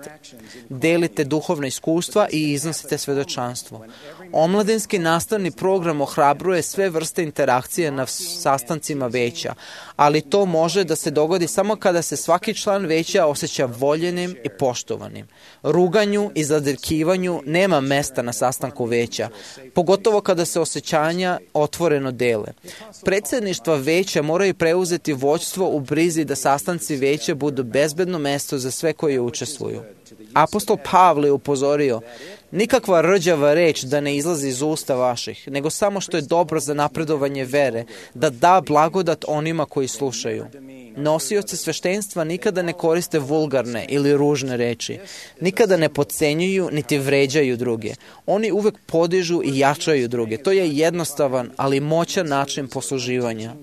Delite duhovna iskustva i iznosite svedočanstvo. Omladinski nastavni program ohrabruje sve vrste interakcije na sastancima veća, ali to može da se dogodi samo kada se svaki član veća osjeća voljenim i poštovanim. Ruganju i zadirkivanju nema mesta na sastanku veća, pogotovo kada se osjećanja otvoreno dele. Predsjedništva veća moraju preuzeti vođstvo u brizi da sastanci veća budu bezbedno mesto za sve koji učestvuju. Apostol Pavle je upozorio: nikakva rđava reč da ne izlazi iz usta vaših, nego samo što je dobro za napredovanje vere, da da blagodat onima koji slušaju. Nosioci sveštenstva nikada ne koriste vulgarne ili ružne reči, nikada ne podcenjuju niti vređaju druge. Oni uvek podižu i jačaju druge. To je jednostavan, ali moćan način posluživanja.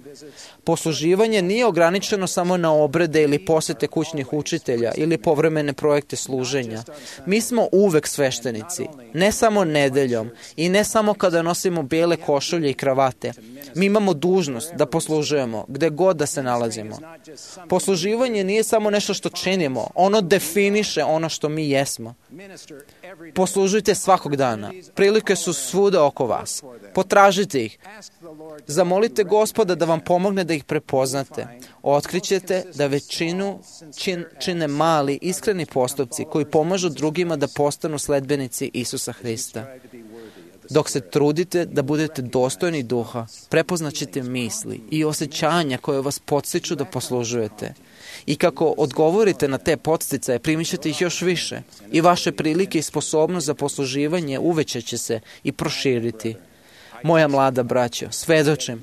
Posluživanje nije ograničeno samo na obrede ili posete kućnih učitelja ili povremene projekte služenja. Mi smo uvek sveštenici, ne samo nedeljom i ne samo kada nosimo bijele košulje i kravate. Mi imamo dužnost da poslužujemo gde god da se nalazimo. Posluživanje nije samo nešto što činimo, ono definiše ono što mi jesmo. Poslužujte svakog dana. Prilike su svuda oko vas. Potražite ih. Zamolite Gospoda da vam pomogne da ih prepoznate. Otkrićete da većinu čine mali, iskreni postupci koji pomažu drugima da postanu sledbenici Isusa Hrista. Dok se trudite da budete dostojni duha, prepoznaćete misli i osjećanja koje vas podstiču da poslužujete. I kako odgovorite na te podsticaje, primit ćete ih još više. I vaše prilike i sposobnost za posluživanje uvećaće se i proširiti. Moja mlada braćo, svedočim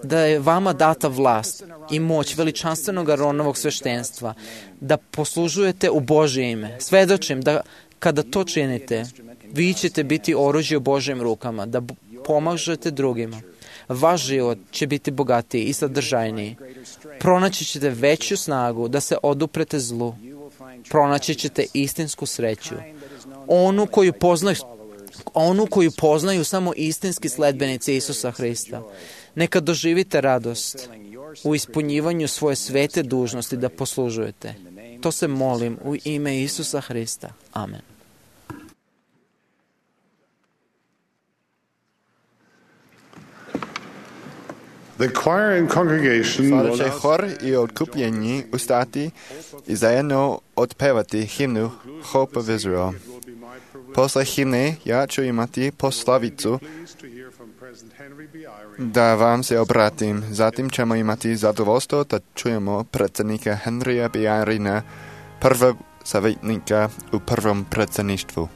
da je vama data vlast i moć veličanstvenog Aronovog sveštenstva, da poslužujete u Božje ime. Svedočim da kada to činite, vi ćete biti oružje u Božjim rukama, da pomažete drugima. Vaš život će biti bogatiji i sadržajniji. Pronaći ćete veću snagu da se oduprete zlu. Pronaći ćete istinsku sreću. Onu koju poznaju samo istinski sledbenici Isusa Hrista. Neka doživite radost u ispunjivanju svoje svete dužnosti da poslužujete. To se molim u ime Isusa Hrista. Amen. Sada će hor i otkupljeni ustati i zajedno otpevati himnu Hope of Israel. Posle himne ja ću imati poslavicu da vam se obratim. Zatim ćemo imati zadovoljstvo da čujemo predsjednika Henrya B. Eyringa, prvog savjetnika u prvom predsjedništvu.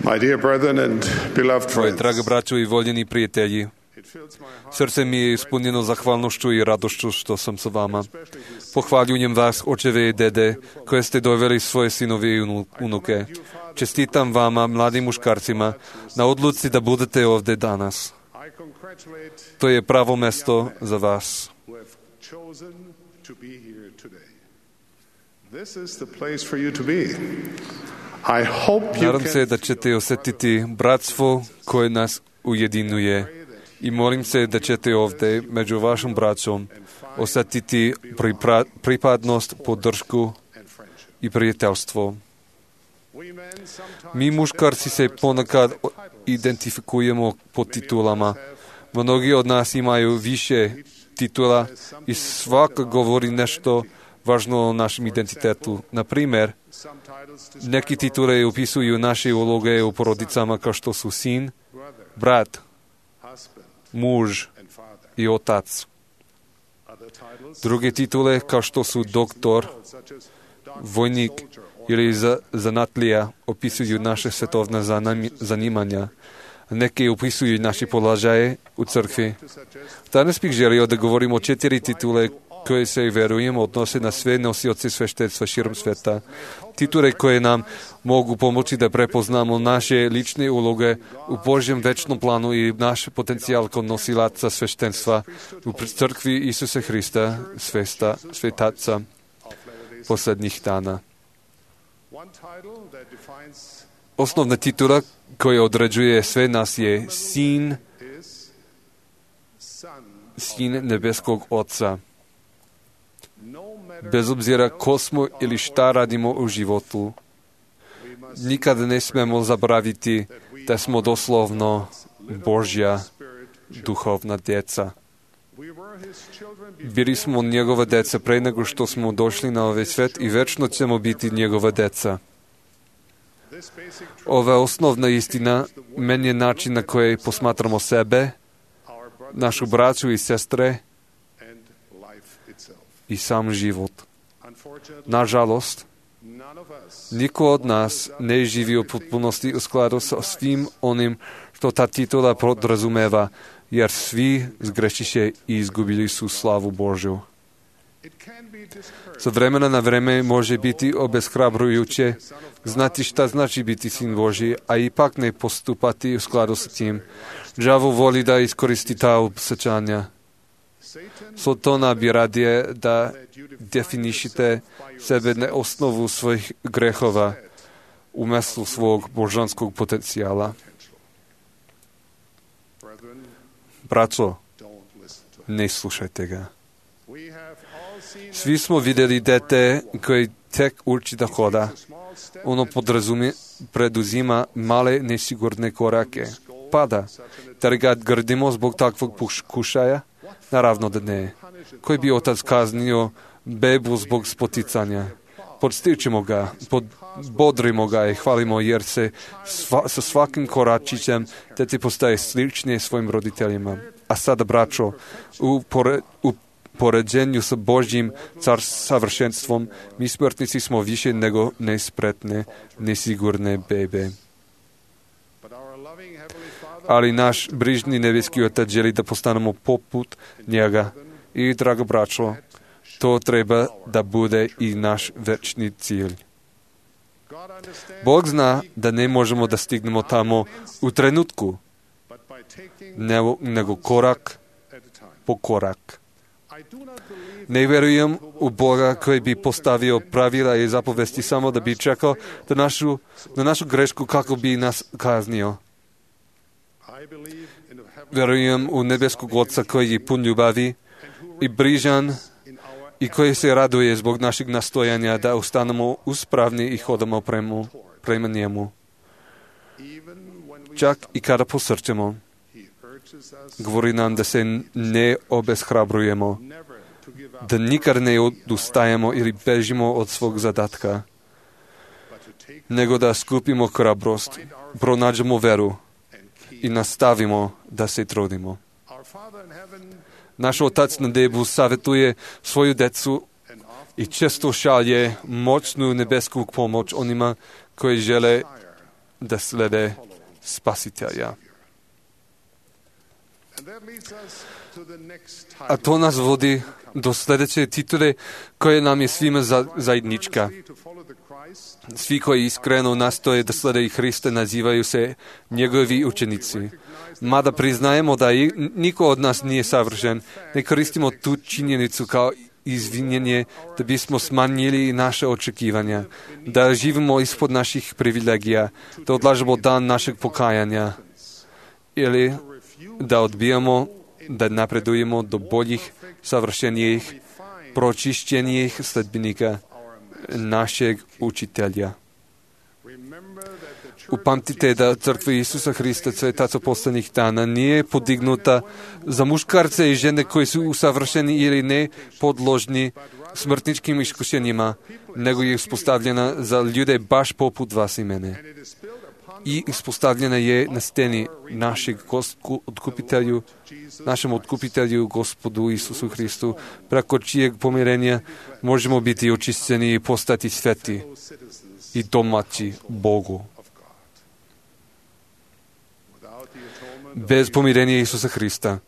My dear brethren and beloved Moji friends, dragi braćo i voljeni prijatelji, srce mi je ispunjeno zahvalnošću i radošću što sam sa vama. Pohvaljujem vas, očeve i dede, koje ste doveli svoje sinove i unuke. Čestitam vama, mladim muškarcima, na odluci da budete ovdje danas. To je pravo mesto za vas. Nadam se da ćete osjetiti bratstvo koje nas ujedinuje i molim se da ćete ovdje među vašim braćom osjetiti pripadnost, podršku i prijateljstvo. Mi muškarci se ponekad identifikujemo po titulama. Mnogi od nas imaju više titula i svaka govori nešto važno o našem identitetu. Na primjer, neki titule upisuju naše uloge u porodicama kao što su sin, brat, muž i otac. Druge titule kao što su doktor, vojnik ili zanatlija opisuju naše svetovne zanimanja. Neke upisuju naše položaje u crkvi. Danas bih želio da govorimo o 4 titule koje se, vjerujem, odnose na sve nosioce sveštenstva širom sveta. Titule koje nam mogu pomoći da prepoznamo naše lične uloge u Božjem večnom planu i naš potencijal kao nosilaca sveštenstva u crkvi Isuse Hrista, svetaca posljednjih dana. Osnovna titula koja određuje sve nas je sin nebeskog Oca. Bez obzira ko smo ili šta radimo u životu, nikada ne smemo zaboraviti da smo doslovno Božja duhovna djeca. Bili smo njegova djeca pre nego što smo došli na ovaj svet i večno ćemo biti njegova djeca. Ova osnovna istina meni je način na koji posmatramo sebe, našu braću i sestre i sam život. Nažalost, niko od nas ne živi u potpunosti u skladu sa svim onim što ta titula podrazumeva, jer svi zgrešiše i izgubili su slavu Božju. Sa vremena na vreme može biti obeshrabrujuće znati šta znači biti sin Božji, a ipak ne postupati u skladu sa tim. Đavo voli da iskoristi ta osjećanja. Sotona bi radije da definišite sebe na osnovu svojih grehova umjesto svog božanskog potencijala. Braćo, ne slušajte ga. Svi smo vidjeli dete koji tek uči da hoda. Ono preduzima male nesigurne korake. Pada. Da li ga grdimo zbog takvog pokušaja? Naravno da ne. Koji bi otac kaznio bebu zbog spoticanja? Podstičimo ga, bodrimo ga i hvalimo, jer se sa svakim koračićem dete postaje sličnije svojim roditeljima. A sada, braćo, u poređenju sa Božjim savršenstvom, mi smrtnici smo više nego nespretne, nesigurne bebe. Ali naš brižni nebeski Otac želi da postanemo poput njega. I, drago braćo, to treba da bude i naš večni cilj. Bog zna da ne možemo da stignemo tamo u trenutku, nego korak po korak. Ne vjerujem u Boga koji bi postavio pravila i zapovesti samo da bi čekao na našu grešku kako bi nas kaznio. Vjerujem u nebeskog Oca koji je pun ljubavi i brižan i koji se raduje zbog našeg nastojanja da ostanemo uspravni i hodamo prema njemu. Čak i kada posrćemo, govori nam da se ne obeshrabrujemo, da nikad ne odustajemo ili bežimo od svog zadatka, nego da skupimo hrabrost, pronađemo veru i nastavimo da se trudimo. Naš Otac na nebu savjetuje svoju decu i često šalje moćnu nebesku pomoć onima koji žele да следе Спасителя. A to nas vodi do sljedeće titule koje nam je svima zajednička. Svi koji iskreno nastoje da slede Hrista nazivaju se njegovi učenici. Mada priznajemo da niko od nas nije savršen, ne koristimo tu činjenicu kao izvinjenje da bismo smanjili naše očekivanja, da živimo ispod naših privilegija, da odlažemo dan našeg pokajanja ili da odbijamo da napredujemo do boljih, savršenijih, pročišćenijih sledbenika našeg učitelja. Upamtite da crkva Isusa Hrista Svetaca poslednjih dana nije podignuta za muškarce i žene koji su usavršeni ili ne podložni smrtničkim iskušenjima, nego je uspostavljena za ljude baš poput vas i mene. I uspostavljena je na steni našem otkupitelju, Gospodu Isusu Hristu, preko čijeg pomirenja možemo biti očišćeni i postati sveti i domaći Bogu. Bez pomirenja Isusa Hrista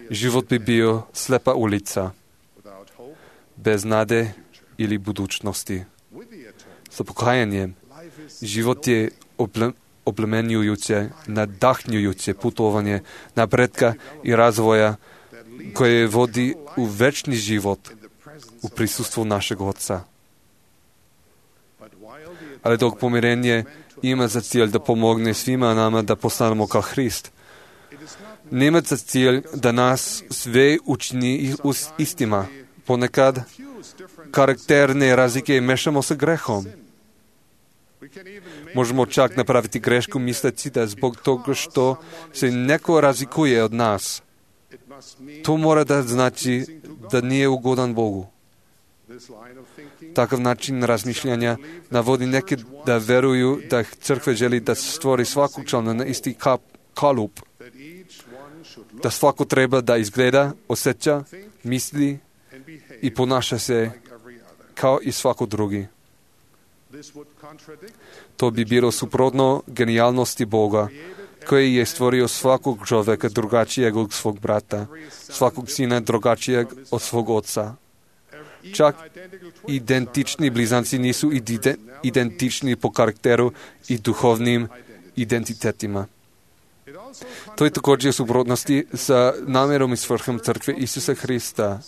život bi bio slepa ulica, bez nade ili budućnosti. Sa pokajanjem život je oplemenjujuće, nadahnjujuće putovanje napretka i razvoja koje vodi u večni život u prisustvu našeg Oca. Ali dok pomirenje ima za cilj da pomogne svima nama da postanemo kao Hrist, nema za cilj da nas sve učini istima. Ponekad karakterne razlike mešamo sa grehom. Možemo čak napraviti grešku misleći da zbog toga što se neko razlikuje od nas, to mora da znači da nije ugodan Bogu. Takav način razmišljanja navodi neke da veruju da crkva želi da stvori svakog člana na isti kalup, da svako treba da izgleda, osjeća, misli i ponaša se kao i svako drugi. To bi bilo suprotno genijalnosti Boga, koji je stvorio svakog čovjeka drugačijeg od svog brata, svakog sina drugačijeg od svog oca. Čak identični blizanci nisu identični po karakteru i duhovnim identitetima. To je također u suprotnosti sa namjerom i svrhom crkve Isusa Hrista,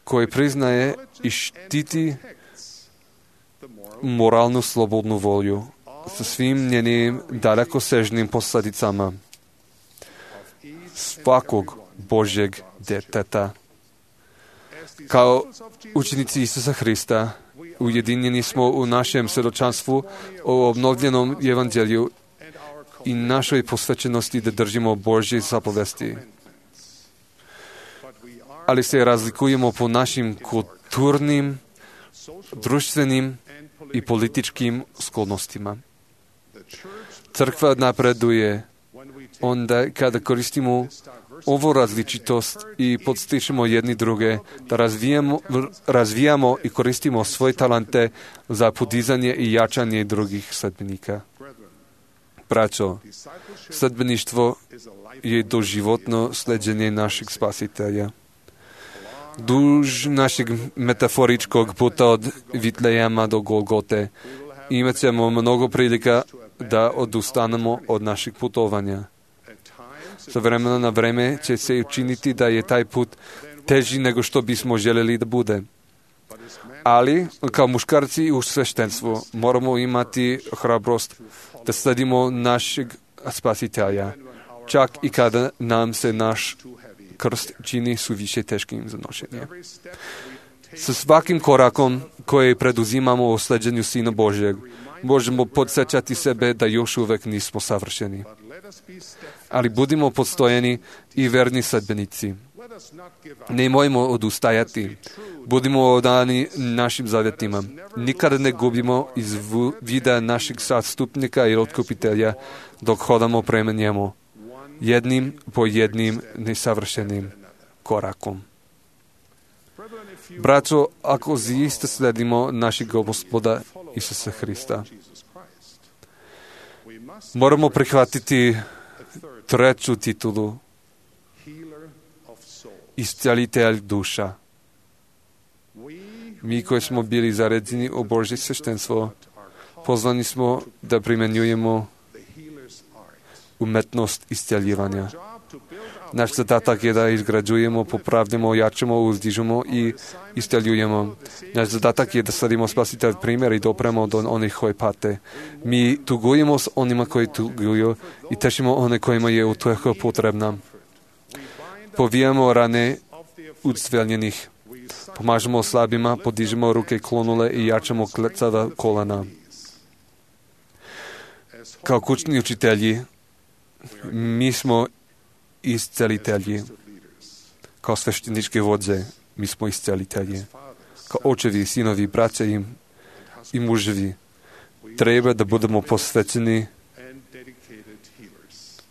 koji priznaje i štiti moralnu slobodnu volju sa svim njenim dalekosežnim posljedicama svakog Božjeg djeteta. Kao učenici Isusa Hrista ujedinjeni smo u našem svjedočanstvu o obnovljenom evanđelju i našoj posvećenosti da držimo Božje zapovesti. Ali se razlikujemo po našim kulturnim, društvenim i političkim sklonostima. Crkva napreduje onda kada koristimo ovu različitost i podstičemo jedni druge da razvijamo i koristimo svoje talente za podizanje i jačanje drugih sledbenika. Braćo, sledbeništvo je doživotno sleđenje našeg Spasitelja. Duž našeg metaforičkog puta od Vitlejema do Golgote imat ćemo mnogo prilika da odustanemo od našeg putovanja. Sa vremena na vreme će se učiniti da je taj put teži nego što bismo željeli da bude. Ali, kao muškarci u sveštenstvu, moramo imati hrabrost da sledimo našeg Spasitelja, čak i kada nam se naš krst čini suviše teškim za nošenje. Sa svakim korakom koji preduzimamo u sleđenju Sina Božjeg, možemo podsjećati sebe da još uvek nismo savršeni. Ali budimo podstojeni i verni sledbenici. Nemojmo odustajati. Budimo odani našim zavjetima. Nikada ne gubimo iz vida našeg zastupnika i otkupitelja dok hodamo prema njemu. Jednim po jednim nesavršenim korakom. Braćo, ako zaista sledimo našeg Gospoda Isusa Hrista, Moramo prihvatiti treću titulu, iscelitelj duša. Mi koji smo bili zaređeni u Božje sveštenstvo, pozvani smo da primjenjujemo umetnost isceljivanja. Naš zadatak je da izgrađujemo, popravljamo, jačamo, uzdižemo i isceljujemo. Naš zadatak je da sledimo Spasitelj primjer i dopremo do onih koji pate. Mi tugujemo s onima koji tuguju i tešimo one kojima je utjeha potrebna. Povijamo rane ucveljenih. Pomažemo slabima, podižemo ruke klonule i jačamo klecava kolana. Kao kućni učitelji, mi smo iscelitelji. Kao svešteničke vodze, mi smo iscelitelji. Kao očevi, sinovi, braće i muževi, treba da budemo posvećeni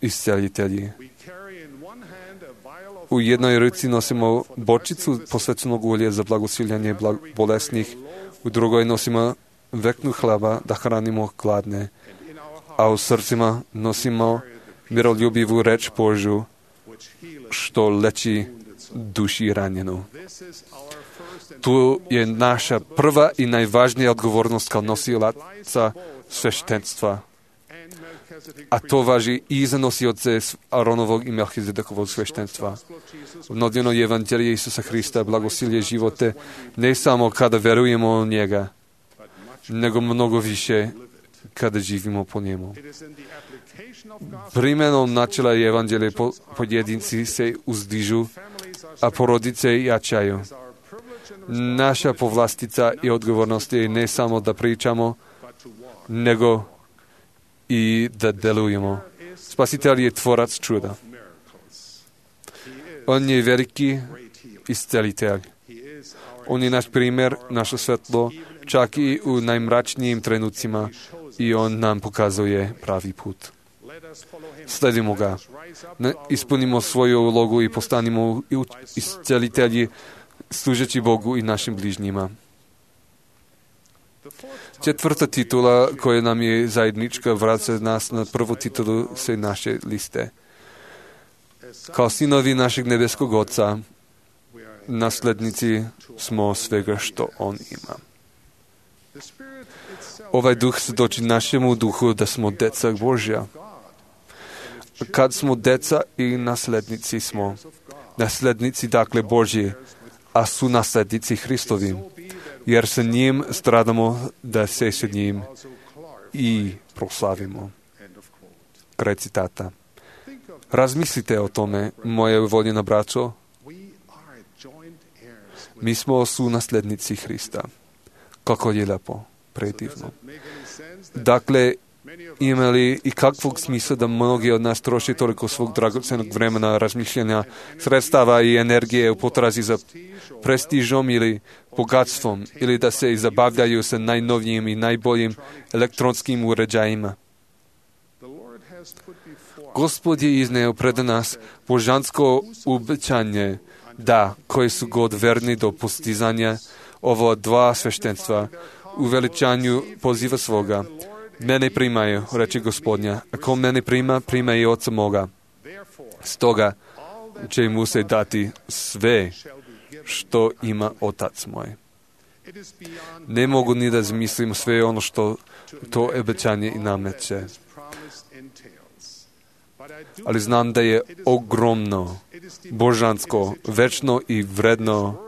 iscelitelji. U jednoj ruci nosimo bočicu posvećenog ulja za blagosiljanje bolesnih, u drugoj nosimo veknu hleba da hranimo gladne, a u srcima nosimo miroljubivu reč Božju, što leči duši ranjenu. Tu je naša prva i najvažnija odgovornost kao nosilaca sveštenstva. A to važi i za nosioce Aronovog i Melchizedekovog sveštenstva. Obnovljeno je evanđelje Isusa Hrista blagosilje živote ne samo kada verujemo u njega, nego mnogo više kada živimo po njemu. Primjenom načela i evanđelje pojedinci se uzdižu, a porodice jačaju. Naša povlastica i odgovornost je ne samo da pričamo, nego i da delujemo. Spasitelj je tvorac čuda. On je veliki iscelitelj. On je naš primjer, naše svetlo, čak i u najmračnijim trenucima, i on nam pokazuje pravi put. Sledimo ga. Ispunimo svoju ulogu i postanimo iscelitelji, služeći Bogu i našim bližnjima. Četvrta titula koja nam je zajednička vraća nas na prvu titulu sve naše liste. Kao sinovi našeg nebeskog Oca, naslednici smo svega što On ima. Ovaj duh svjedoči našemu duhu da smo deca Božja. Kad smo deca i naslednici smo. Naslednici dakle Božji, a su naslednici Hristovi, jer sa njim stradamo da se sa njim i proslavimo. Kraj citata. Razmislite o tome, moje voljena braćo. Mi smo sunaslednici Hrista. Kako je lepo, predivno. Dakle, ima li i kakvog smisla da mnogi od nas troši toliko svog dragocenog vremena, razmišljanja, sredstava i energije u potrazi za prestižom ili bogatstvom, ili da se zabavljaju sa najnovijim i najboljim elektronskim uređajima? Gospod je izneo pred nas božansko obećanje da, koji su god verni do postizanja ovo dva sveštenstva, u veličanju poziva svoga. Mene primaju, reče Gospodnja, a ko mene prima, prima i Oca moga. Stoga će mu se dati sve što ima Otac moj. Ne mogu ni da zamislim sve ono što to obećanje i nameće. Ali znam da je ogromno, božansko, večno i vredno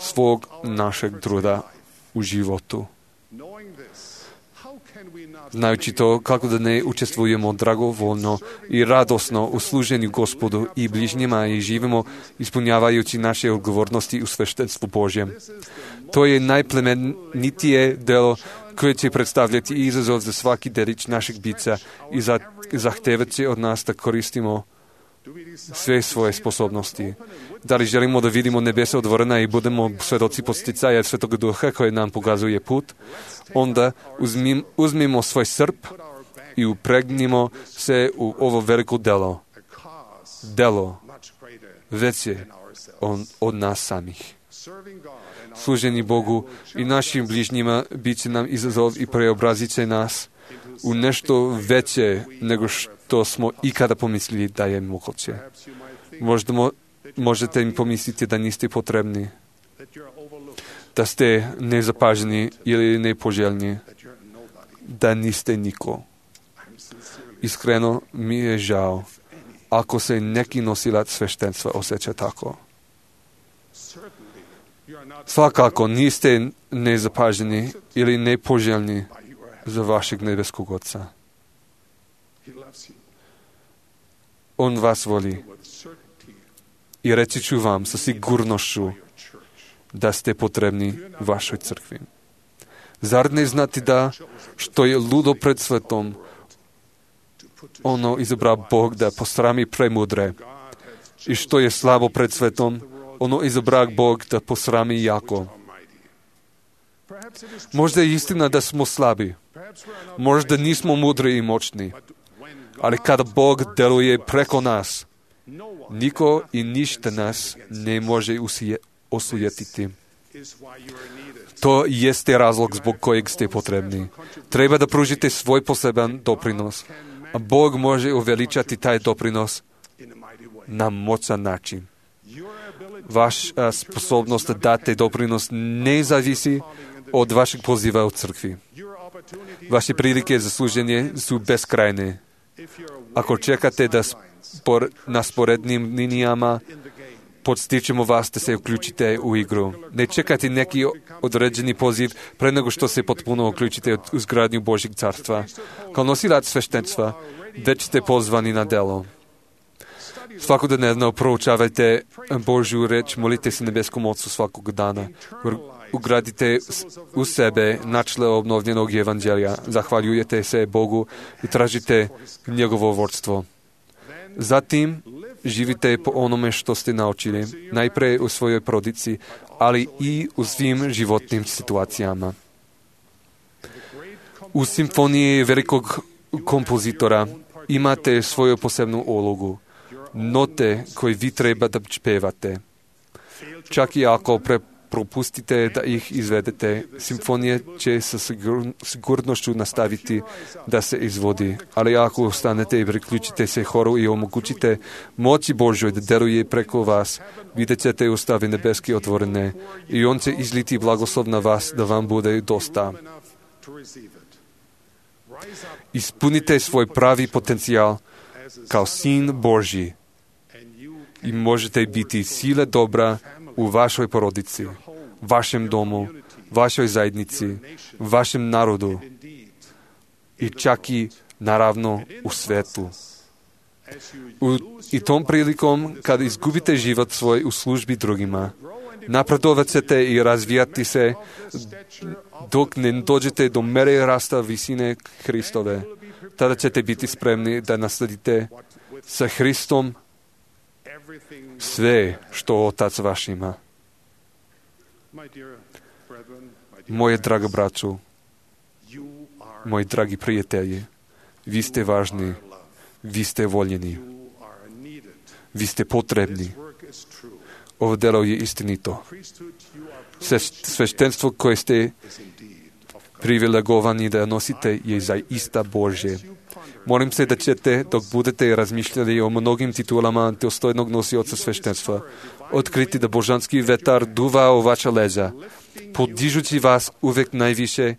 svog našeg truda u životu. Znajući to, kako da ne učestvujemo dragovoljno i radosno u služenju Gospodu i bližnjima i živimo ispunjavajući naše odgovornosti u sveštenstvu Božjem. To je najplemenitije delo koje će predstavljati izazov za svaki delić našeg bića i zahtevati od nas da koristimo sve svoje sposobnosti. Da li želimo da vidimo nebesa otvorena i budemo svedoci podsticaja Svetog Duha koji nam pokazuje put, onda uzmimo svoj srp i upregnimo se u ovo veliko delo. Delo veće od nas samih. Služenje Bogu i našim bližnjima bit će nam izazov i preobrazit će nas u nešto veće nego što smo ikada pomislili da je moguće. Možete im pomisliti da niste potrebni, da ste nezapaženi ili nepoželjni, da niste niko. Iskreno mi je žao ako se neki nosilac sveštenstva osjeća tako. Svakako niste nezapaženi ili nepoželjni za vašeg nebeskog Oca. On vas voli. I reći ću vam sa sigurnošću da ste potrebni vašoj crkvi. Zar ne znate da što je ludo pred svetom, ono izabra Bog da posrami premudre, i što je slabo pred svetom, ono izabra Bog da posrami jako. Možda je istina da smo slabi, možda nismo mudri i moćni, ali kada Bog deluje preko nas, niko i ništa nas ne može osujetiti. To jeste razlog zbog kojeg ste potrebni. Treba da pružite svoj poseban doprinos, a Bog može uveličati taj doprinos na moćan način. Vaša sposobnost da date doprinos ne zavisi od vašeg poziva u crkvi. Vaše prilike za služenje su beskrajne. Ako čekate da na sporednim linijama podstičemo vas da se uključite u igru. Ne čekajte neki određeni poziv pre nego što se potpuno uključite u izgradnju Božjeg carstva. Kao nosilac sveštenstva već ste pozvani na delo. Svakodnevno proučavajte Božju reč, molite se nebeskom Ocu svakog dana. Ugradite u sebe načele obnovljenog evanđelja. Zahvaljujete se Bogu i tražite njegovo vodstvo. Zatim živite po onome što ste naučili, najprej u svojoj porodici, ali i u svim životnim situacijama. U simfoniji velikog kompozitora imate svoju posebnu ulogu, note koje vi treba da pevate. Čak i ako propustite da ih izvedete, simfonija će sa sigurnošću nastaviti da se izvodi. Ali ako ostanete i priključite se horu i omogućite moći Božoj da deluje preko vas, vidjet ćete ustave nebeske otvorene i on će izliti blagoslov na vas da vam bude dosta. Ispunite svoj pravi potencijal kao sin Božji i možete biti sile dobra u vašoj porodici, vašem domu, vašoj zajednici, vašem narodu i čak i naravno u svetu. I tom prilikom, kad izgubite život svoj u službi drugima, napredovat ćete i razvijati se dok ne dođete do mere rasta visine Hristove. Tada ćete biti spremni da nasledite sa Hristom sve što Otac vaš ima. Moje draga braću, moji dragi prijatelji, vi ste važni, vi ste voljeni, vi ste potrebni. Ovo delo je istinito. Sveštenstvo koje ste privilegovani da nosite je zaista Božje. Molim se da ćete, dok budete razmišljali o mnogim titulama dostojnog nosioca sveštenstva, otkriti da božanski vetar duva u vaša leđa, podižući vas uvek najviše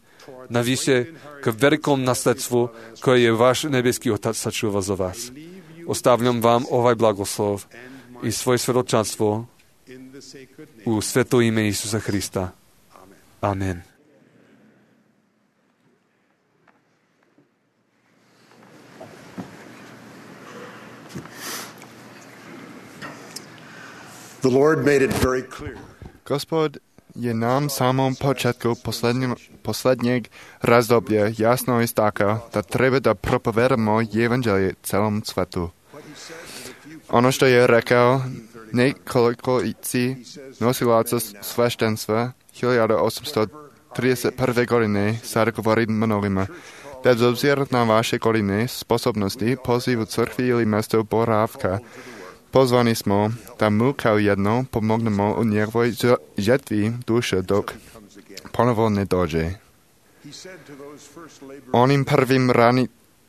k velikom nasledstvu koje je vaš nebeski Otac sačuva za vas. Ostavljam vam ovaj blagoslov i svoje svedočanstvo u sveto ime Isusa Hrista. Amen. The Lord made it very clear. Gospod je nam samom početku posljednjeg razdoblja jasno istakao da treba da propovedamo evanđelje celom svetu. Ono što je rekao nekoliko nosilaca sveštenstva 1831. godine sada govori mnogima. Bez obzira na vaše godine, sposobnosti, poziv u crkvi ili mjesto boravka, pozvani smo da mu kao jedno pomognemo u njegovoj žetvi duše dok ponovo ne dođe. Onim prvim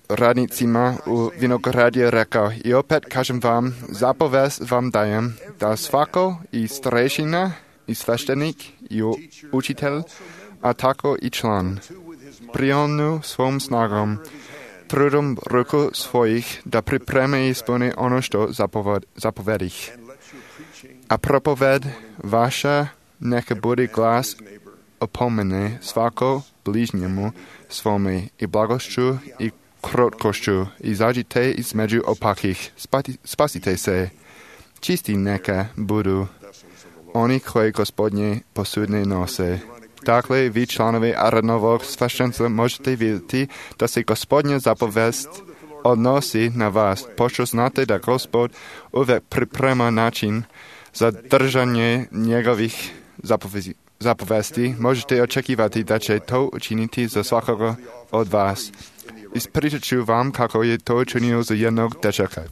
radnicima u vinogradě rekao, i opět kažem vám, zapověst vám dajem, da svako i starešina, i sveštenik, i učitel, a tako i član. Prionu svom snagom, trudom ruku svojich, da pripreme ispuni ono što zapovedih. A propoved vaša neka bude glas opomene svako bližnjemu svome i blagošću i krotkošću, izađite između opakih, spasite se. Čisti neka budu oni koji Gospodnje posudne nose. Dakle, vi članovi Aaronovog sveštenstva možete vidjeti da se Gospodnja zapovest odnosi na vas, pošto znate da Gospod uvijek priprema način za držanje njegovih zapovesti. Možete očekivati da će to učiniti za svakoga od vas. Ispričat ću vam kako je to učinio za jednog dečaka.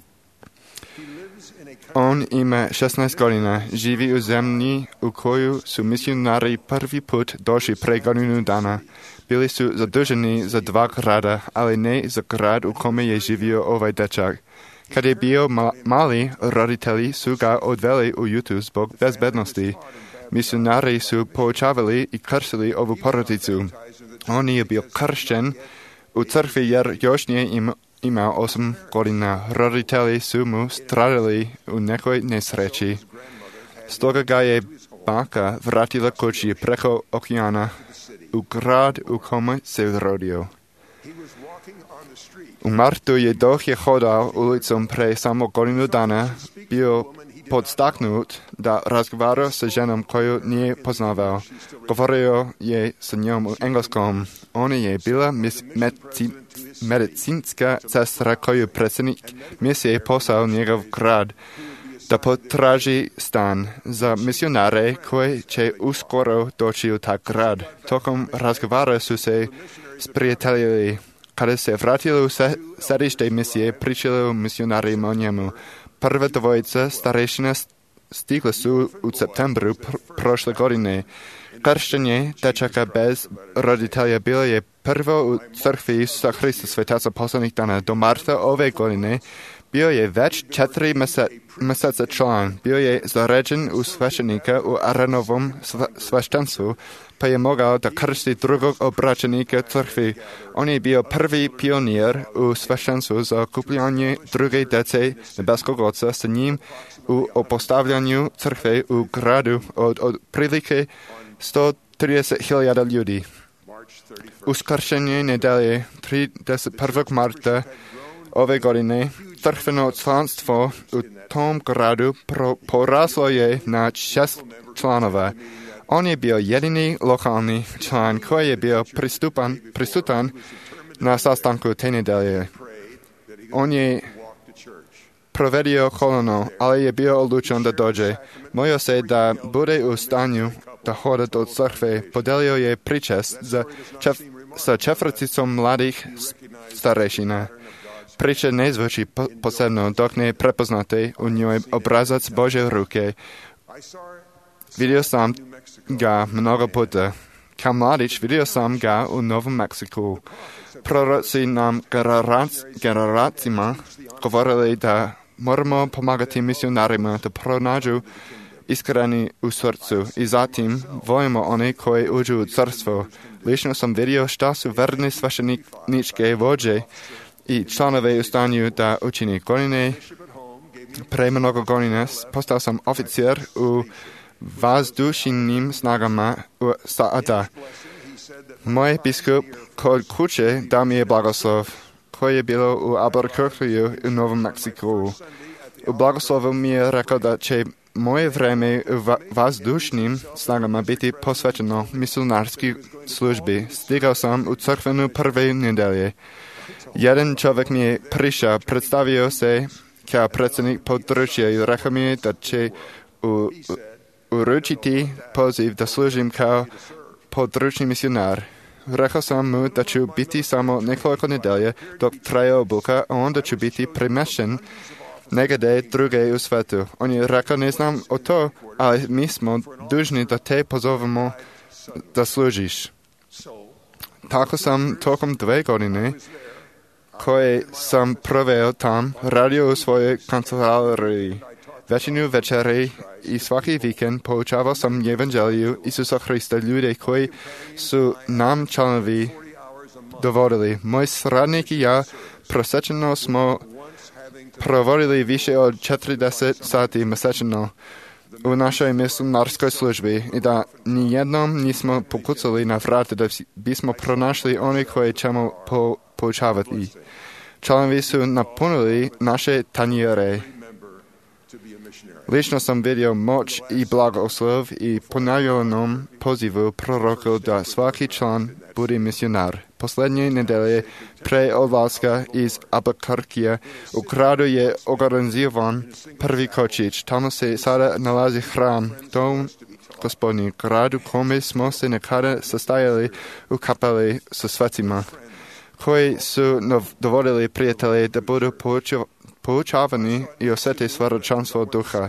On ima 16 godina, živi u zemlji u koju su misionari prvi put došli pre godinu dana. Bili su zaduženi za 2 grada, ali ne za grad u kome je živio ovaj dečak. Kad je bio mali, roditelji su ga odveli u jutu zbog bezbednosti. Misionari su poučavali i krstili ovu porodicu. On je bio kršten u crkvi jer još nije imao 8 godina. Roditelji su mu stradali u nekoj nesreći. Stoga ga je baka vratila kući preko okeana u grad u kome se rodio. U martu je dok je hodao ulicom pre samo godinu dana bio podstaknut da razgovara sa ženom koju nije poznavao. Govorio je sa njom u engleskom. Ona je bila medicinska sestra koju predsjednik misije poslao njegov grad da potraži stan za misionare koji će uskoro doći u taj grad. Tokom razgovara su se sprijateljili. Kada se vratili u središte misije, pričali o misionarima o njemu. Prva dvojica starešina stigla su u septembru prošle godine. Krštenje dečaka bez roditelja bilo je prvo u crkvi Isusa Hrista Svetaca poslednjih dana. Do marta ove godine bio je već 4 mjeseca član. Bio je zaređen u sveštenika u Aaronovom sveštenstvu, pa je mogao da krsti drugog obraćenika crkvi. On je bio prvi pionir u sveštenstvu za okupljanje druge dece nebeskog Oca sa njim u opostavljanju crkve u gradu od prilike 130.000 ljudi. Uskršenje nedelje 31. marta ove godine crkveno članstvo u tom gradu poraslo je na 6 članova. On je bio jedini lokalni član koji je bio prisutan na sastanku te nedelje. On je provedio kolonu, ali je bio odlučen da dođe. Molio se da bude u stanju da hoda do crkve. Podelio je pričest sa četvrticom mladih starešina. Priča ne zvuči posebno dok ne prepoznate u njoj obrazac Božje ruke. Vidio sam ga mnogo puta. Kao mladić vidio sam ga u Novom Meksiku. Proroci nam generacijama govorili da moramo pomagati misionarima da pronađu iskreni u srcu i zatim volimo one koji uđu u carstvo. Lično sam vidio šta su verni svešteničke vođe i članove u stanju da učini godine. Pre mnogo godina postao sam oficir u vazdušnim snagama SAD. Moj biskup kod kuće dao mi je blagoslov, koji je bilo u Albuquerque u Novom Meksiku. U blagoslovu mi je rekao da će moje vreme u vazdušnim snagama biti posvećeno misionarskoj službi. Stigao sam u crkvenu prve nedelje. Jedan čovjek mi je prišao, predstavio se kao predsjednik područja i rekao mi je da će uručiti poziv da služim kao područni misionar. Rekao sam mu da ću biti samo nekoliko nedelje dok traje obuka, a onda ću biti premješten negdje druge u svetu. On je rekao, ne znam o to, ali mi smo dužni da te pozovemo da služiš. Tako sam tokom 2 godine koje sam proveo tam, radio u svojoj kancelariji. Većinu večeri i svaki vikend poučavao sam evanđeliju Isusa Hrista ljude koji su nam članovi dovodili. Moj sradnik i ja prosječno smo provodili više od 40 sati mjesečno u našoj misionarskoj službi i da nijednom nismo pokucali na vrata da bismo pronašli one koje ćemo poučavati. Članovi su napunili naše tanjere. Lično sam vidio moć i blagoslov i ponavljanom pozivu proroku da svaki član bude misionar. Posljednje nedelje pre odlaska iz Albuquerquea u gradu je organiziran prvi kočić. Tamo se sada nalazi hram, dom Gospodnji, gradu kome smo se nekada sastajali u kapeli sa svecima, koji su dovodili prijatelje da budu poučavani i osjeti svjedočanstvo duha.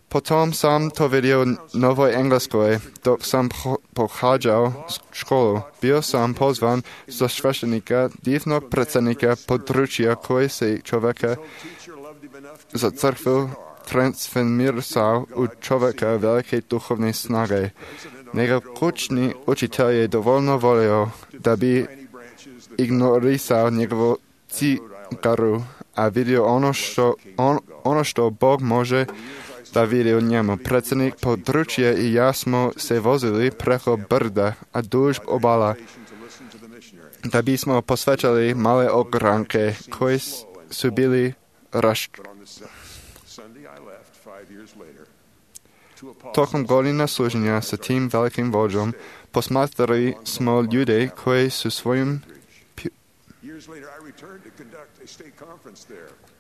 Potom sam to vidio u Novoj Engleskoj, dok sam pohađao školu. Bio sam pozvan za sveštenika, divnog predsjednika područja koji se čovjeka za crkvu transformirao u čovjeka velike duhovne snage. Njegov kućni učitelj je dovoljno volio da bi ignorisao njegovu cigaru, a vidio ono što Bog može da vidi u njemu. Predsjednik područja i ja smo se vozili preko brda, a duž obala, da bismo posvećali male ogranke koji su bili Tokom godina služenja sa tim velikim vođom posmatrali smo ljude koji su svojim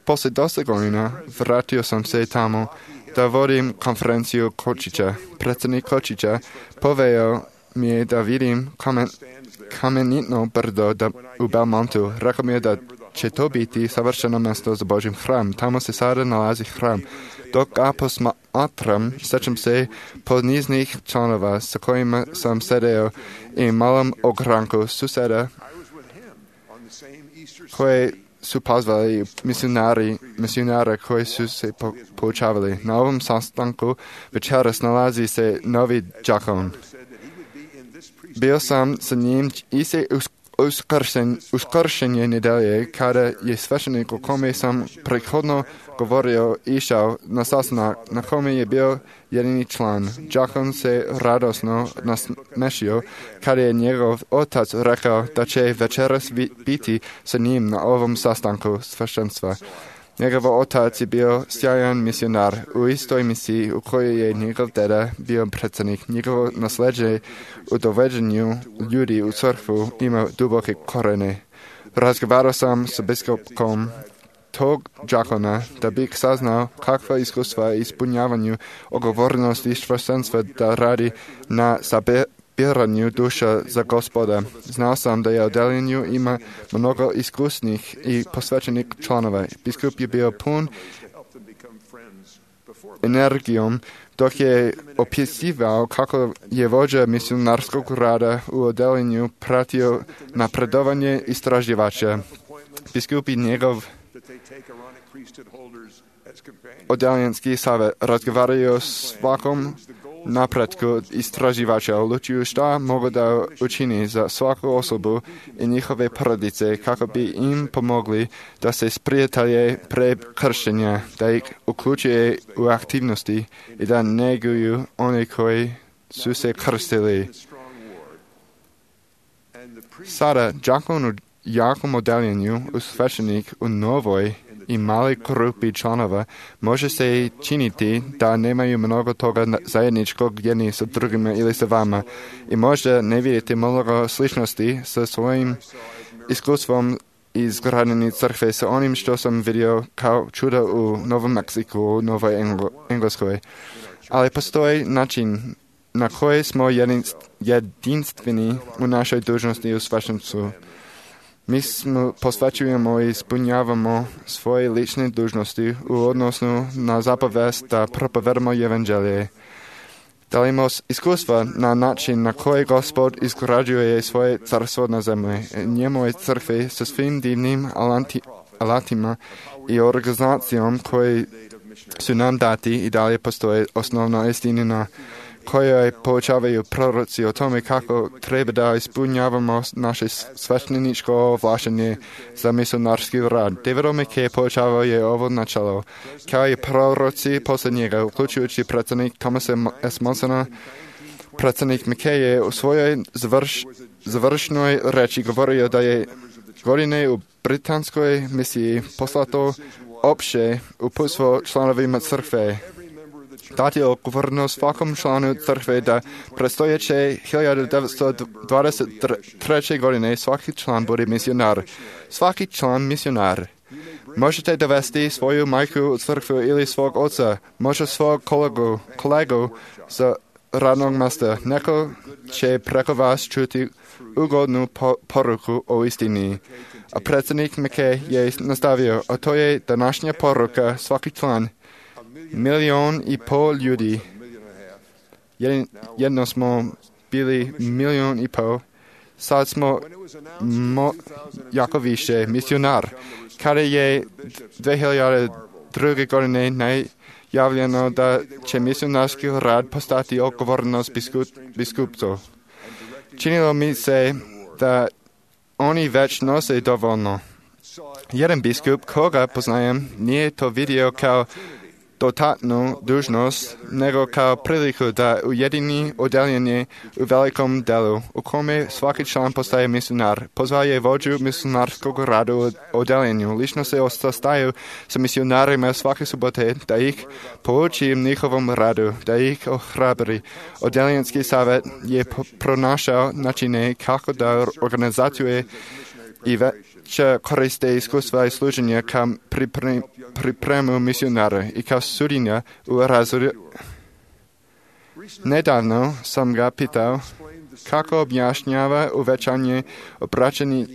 Poslije dosta godina vratio sam se tamo da vodim konferenciju Kočića. Predsjednik Kočića poveo mi je da vidim kamenitno brdo u Belmontu. Rekao mi je da će to biti savršeno mjesto za Božji hram. Tamo se sada nalazi hram. Dok ga posmatram, sjećam se poniznih članova sa kojima sam sedeo i malom ogranku suseda koje su pozvali misionare koji su se poučavali. Na ovom sastanku večeras nalazi se novi đakon. Bio sam sa njim i se uskršenje nedelje kada je sveštenik o kome sam prethodno govorio išao na sastanak na kome je bio jedini član. Đakon se radosno nasmešio kada je njegov otac rekao da će večeras biti sa njim na ovom sastanku sveštenstva. Njegov otac je bio sjajan misionar u istoj misiji u kojoj je njegov deda bio predsjednik. Njegovo nasljeđe u doveđenju ljudi u crkvu ima duboke korene. Razgovarao sam sa biskupom tog đakona da bih saznao kakva iskustva i ispunjavanju odgovornosti sveštenstva da radi na sabiranju duša za Gospoda. Znao sam da je u deljenju ima mnogo iskusnih i posvećenih članova. Biskup je bio pun energijom dok je opisivao kako je vođa misionarskog rada u odeljenju pratio napredovanje istraživača. Biskup i njegov odeljenski savjet razgovaraju o svakom napretku istraživača, odlučuju šta mogu da učini za svaku osobu i njihove porodice kako bi im pomogli da se sprijatelje pre krštenja, da ih uključuje u aktivnosti i da neguju one koji su se krstili. Sada, đakon u jakom odeljenju, svećenik u novoj i mali grupi članova može se činiti da nemaju mnogo toga zajedničkog jedni sa drugima ili sa vama i možda ne vidite mnogo sličnosti sa svojim iskustvom izgradnjeni crkve sa onim što sam vidio kao čuda u Novom Meksiku, u Novoj Engleskoj. Ali postoji način na koji smo jedinstveni u našoj dužnosti u sveštenstvu. Mi posvećujemo i ispunjavamo svoje lične dužnosti u odnosu na zapovest da propovedamo evanđelje. Dalimo iskustva na način na koji Gospod izgrađuje svoje carstvo na zemlji. Njemu je crkve sa svim divnim alatima i organizacijom koji su nam dati i dalje postoje osnovna istina koje poučavaju proroci o tome kako treba da ispunjavamo naše svešteničko ovlaštenje za misionarski rad. David Mackay poučavao je ovo načelo, kao i proroci poslije njega, uključujući predsjednik Thomas S. Monsona. Predsjednik Mackay je u svojoj završnoj reči govorio da je godine u britanskoj misiji poslato opće uputstvo članovima crkve. Dati je odgovornost svakom članu crkve da predstojeće 1923. godine svaki član bude misionar. Svaki član misionar. Možete dovesti svoju majku u crkvu ili svog oca, možda svog kolegu za radnog mjesta. Neko će preko vas čuti ugodnu poruku o istini. A predsjednik Mackay je nastavio, a to je današnja poruka, svaki član. 1,5 miliona ljudi. Jedno smo bili 1,5 miliona. Sad smo jako više misionar. Kada je 2002. godine najavljeno da će misionarski rad postati odgovornost biskupstva. Činilo mi se da oni već nose dovoljno. Jedan biskup koga poznajem nije to vidio kao dodatnu dužnost, nego kao priliku da ujedini odjeljenje u velikom delu, u kome svaki član postaje misionar. Pozvao je vođu misionarskog rada u odjeljenju. Lično se sastaju sa misionarima svake subote, da ih pouči njihovom radu, da ih ohrabri. Odjeljenski savjet je pronašao načine kako da organizaciju i će koriste iskustva i služenja kao pripremu misionara i kao sudinja u razvoju. Nedavno sam ga pitao kako objašnjava uvećanje obraćenih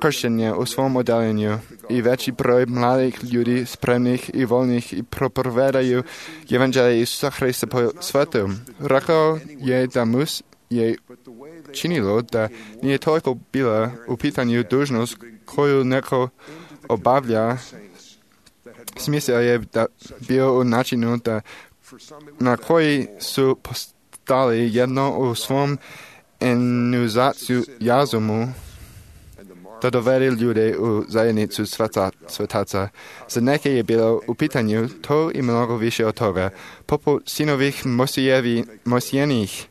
kršćenja u svom odjeljenju i veći broj mladih ljudi spremnih i voljnih i propovedaju evanđelje Isusa Hrista po svijetu. Rekao je da je činilo da nije toliko bila u pitanju dužnost koju neko obavlja. Smisao je da bio u načinu da na koji su postali jedno u svom entuzijazumu da dovede ljude u zajednicu svetaca. Za neke je bilo u pitanju to i mnogo više od toga. Poput sinovih Mosijenih,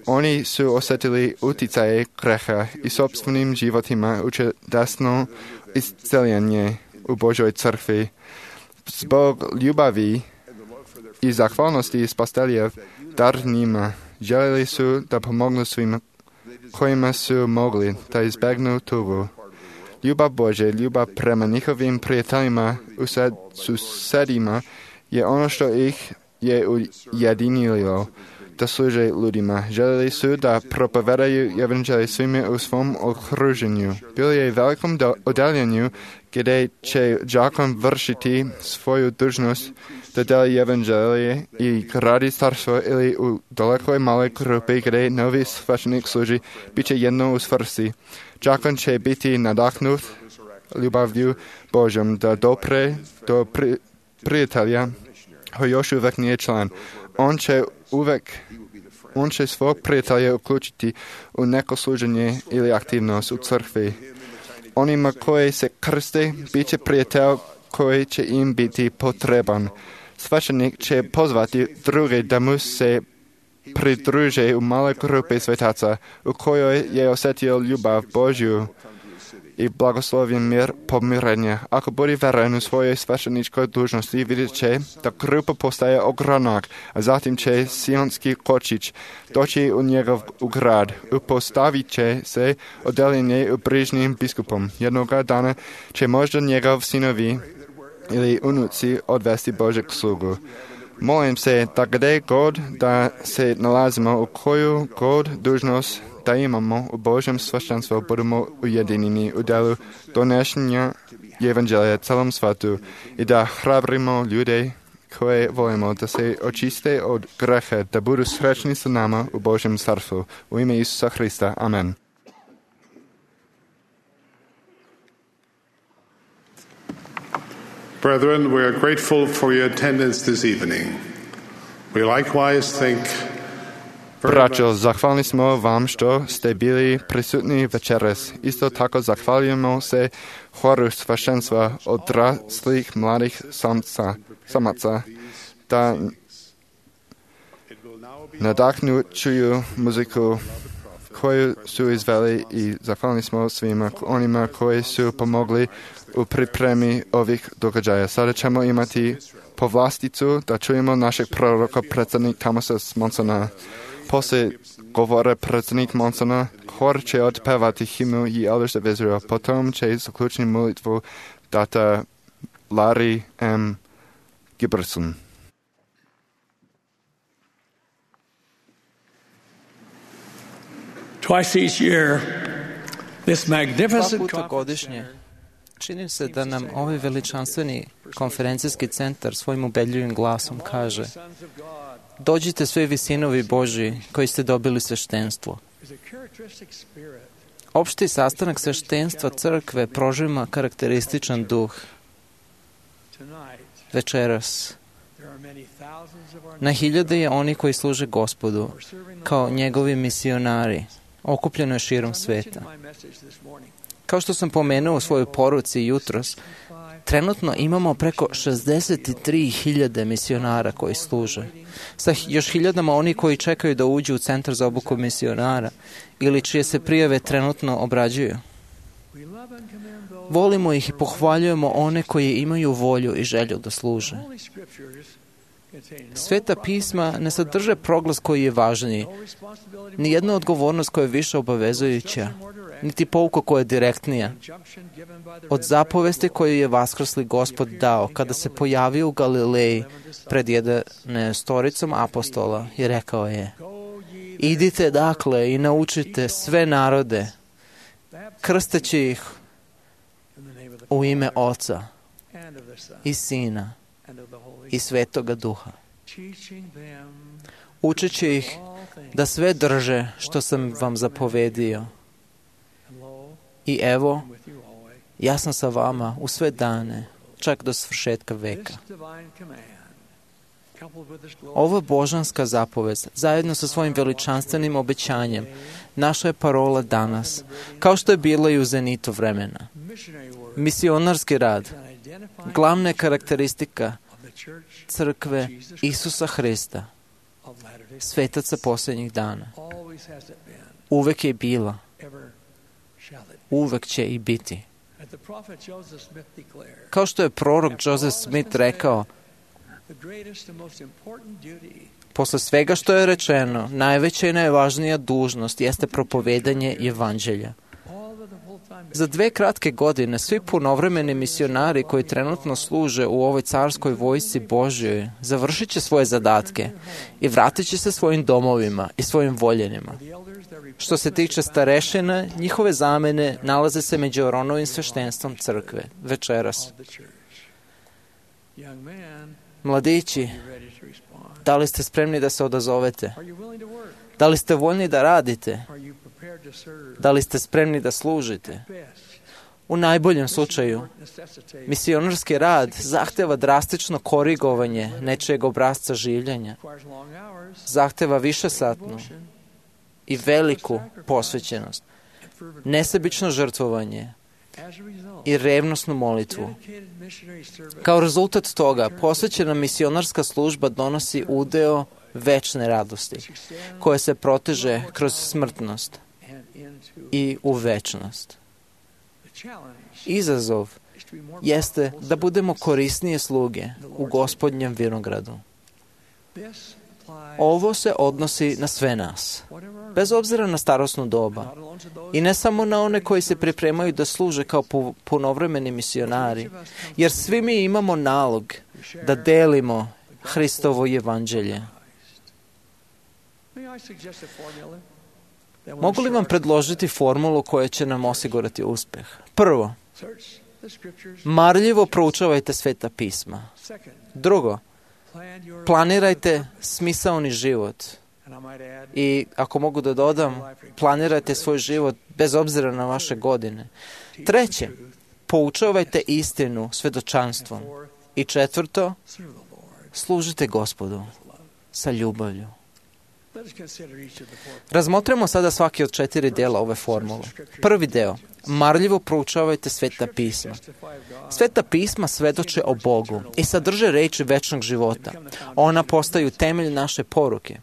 oni su osjetili utjecaje greha i sopstvenim životima u čudesno isceljenje u Božoj crkvi. Zbog ljubavi i zahvalnosti spastelja dar njima, željeli su da pomognu svima kojima su mogli da izbjegnu tugu. Ljubav Bože, ljubav prema njihovim prijateljima u susedima je ono što ih je ujedinilo da služe ljudima. Željeli su da propovedaju evanđelje svima u svom okruženju. Bili je velikom odjeljenju gdje će đakon vršiti svoju dužnost da deli evanđelje i gradi starstvo ili u dalekoj maloj grupi gdje novi svećenik služi, bit će jedno u svrsi. Đakon će biti nadahnut ljubavlju Božjom da dopre do prijatelja koji još uvijek nije član. On će svog prijatelja uključiti u neko služenje ili aktivnost u crkvi. Onima koji se krste, bit će prijatelj koji će im biti potreban. Svećenik će pozvati druge da mu se pridruže u maloj grupi svetaca u kojoj je osjetio ljubav Božju i blagoslovljen mir pomirenja. Ako bude veren u svojoj svećeničkoj dužnosti, vidjet će da grupa postaje ogranak, a zatim će sionski kočić doći u njegov grad. Upostavit će se odjeljenje u bližnjim biskupom. Jednoga dana će možda njegov sinovi ili unuci odvesti Božeg slugu. Molim se da gdje god da se nalazimo, u koju god dužnost da imamo u Božjem sveštenstvu, budemo ujedinjeni u delu donošenja evanđelja celom svijetu i da hrabrimo ljude koje volimo, da se očiste od greha, da budu srećni sa nama u Božjem carstvu. U ime Isusa Hrista. Amen. Brethren, we are grateful for your attendance this evening. We likewise think Braćo, zahvalni smo vam što ste bili prisutni večeras. Isto tako zahvaljujemo se horu sveštenstva odraslih mladih samaca, da nadahnućuju muziku koju su izveli i zahvalni smo svima onima koji su pomogli u pripremi ovih događaja. Sada ćemo imati povlasticu da čujemo našeg proroka, predsjednik Thomasa Monsona. Poslije govore predsjednik Monsona, hor će otpevati himnu i Elders of Israel. Potom će zaključiti molitvu data Larry M. Giberson. Twice each year, this Dva magnificent puta godišnje čini se da nam ovaj veličanstveni konferencijski centar svojim ubedljivim glasom kaže: dođite svi vi sinovi Božji koji ste dobili sveštenstvo. Opšti sastanak sveštenstva crkve prožima karakterističan duh. Večeras na hiljade je oni koji služe Gospodu kao njegovi misionari, okupljeno je širom sveta. Kao što sam pomenuo u svojoj poruci jutros, trenutno imamo preko 63.000 misionara koji služe. Sa još hiljadama oni koji čekaju da uđu u centar za obuku misionara ili čije se prijave trenutno obrađuju. Volimo ih i pohvaljujemo one koji imaju volju i želju da služe. Sveta pisma ne sadrže proglas koji je važniji, ni jedna odgovornost koja je više obavezujuća, niti pouka koja je direktnija od zapovesti koju je vaskrsli Gospod dao kada se pojavio u Galileji pred 11 apostola i rekao je: idite dakle i naučite sve narode, krsteći ih u ime Oca i Sina i Svetoga Duha, učeći ih da sve drže što sam vam zapovedio. I evo, ja sam sa vama u sve dane, čak do svršetka veka. Ova božanska zapovest, zajedno sa svojim veličanstvenim obećanjem, naša je parola danas, kao što je bila i u zenitu vremena. Misionarski rad, glavna je karakteristika crkve Isusa Hrista, svetaca posljednjih dana. Uvek je bila, uvek će i biti. Kao što je prorok Joseph Smith rekao, posle svega što je rečeno, najveća i najvažnija dužnost jeste propovedanje evanđelja. Za 2 kratke godine svi punovremeni misionari koji trenutno služe u ovoj carskoj vojsci Božjoj završit će svoje zadatke i vratit će se svojim domovima i svojim voljenima. Što se tiče starešina, njihove zamene nalaze se među Aronovim sveštenstvom crkve večeras. Mladići, da li ste spremni da se odazovete? Da li ste voljni da radite? Da li ste spremni da služite? U najboljem slučaju, misionarski rad zahteva drastično korigovanje nečijeg obrasca življenja. Zahteva višesatnu i veliku posvećenost, nesebično žrtvovanje i revnosnu molitvu. Kao rezultat toga, posvećena misionarska služba donosi udeo večne radosti, koje se proteže kroz smrtnost i u večnost. Izazov jeste da budemo korisnije sluge u Gospodnjem vinogradu. Ovo se odnosi na sve nas, bez obzira na starosnu doba, i ne samo na one koji se pripremaju da služe kao punovremeni misionari, jer svi mi imamo nalog da delimo Hristovo evanđelje. Mogu li vam predložiti formulu koja će nam osigurati uspeh? Prvo, marljivo proučavajte Sveta pisma. Drugo, Planirajte smisaoni život. I ako mogu da dodam, planirajte svoj život bez obzira na vaše godine. 3. Poučavajte istinu svedočanstvom. I 4. Služite Gospodu sa ljubavlju. Razmotrimo sada svaki od 4 dela ove formule. Prvi deo. Marljivo proučavajte Sveta pisma. Sveta pisma svedoče o Bogu i sadrže reči večnog života. Ona postaju temelj naše poruke.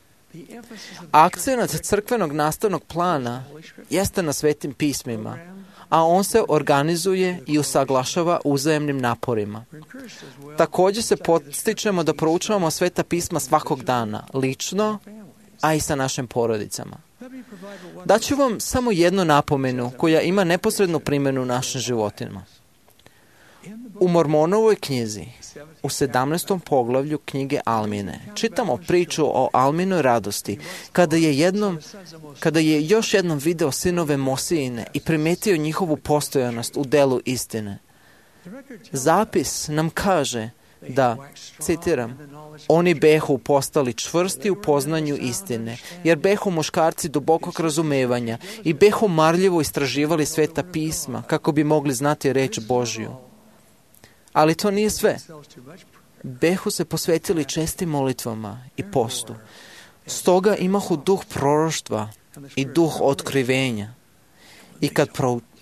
Akcenat crkvenog nastavnog plana jeste na Svetim pismima, a on se organizuje i usaglašava uzajemnim naporima. Također se podstičemo da proučavamo Sveta pisma svakog dana, lično, a i sa našim porodicama. Daću vam samo jednu napomenu koja ima neposrednu primjenu u našim životima. U Mormonovoj knjizi, u 17. poglavlju knjige Almine, čitamo priču o Alminoj radosti, kada je još jednom video sinove Mosijine i primetio njihovu postojanost u delu istine. Zapis nam kaže da, citiram, oni behu postali čvrsti u poznanju istine, jer behu muškarci dubokog razumevanja i behu marljivo istraživali Sveta pisma kako bi mogli znati reč Božju. Ali to nije sve. Behu se posvetili čestim molitvama i postu. Stoga imahu duh proroštva i duh otkrivenja.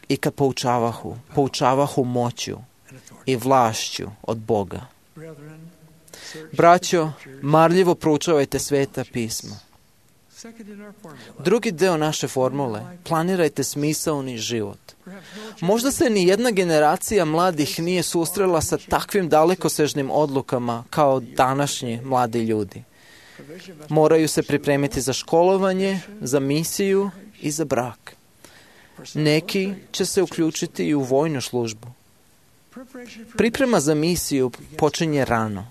I kad poučavahu moću i vlašću od Boga. Braćo, marljivo proučavajte Sveta pisma. Drugi deo naše formule, planirajte smisaoni život. Možda se ni jedna generacija mladih nije susrela sa takvim dalekosežnim odlukama kao današnji mladi ljudi. Moraju se pripremiti za školovanje, za misiju i za brak. Neki će se uključiti i u vojnu službu. Priprema za misiju počinje rano.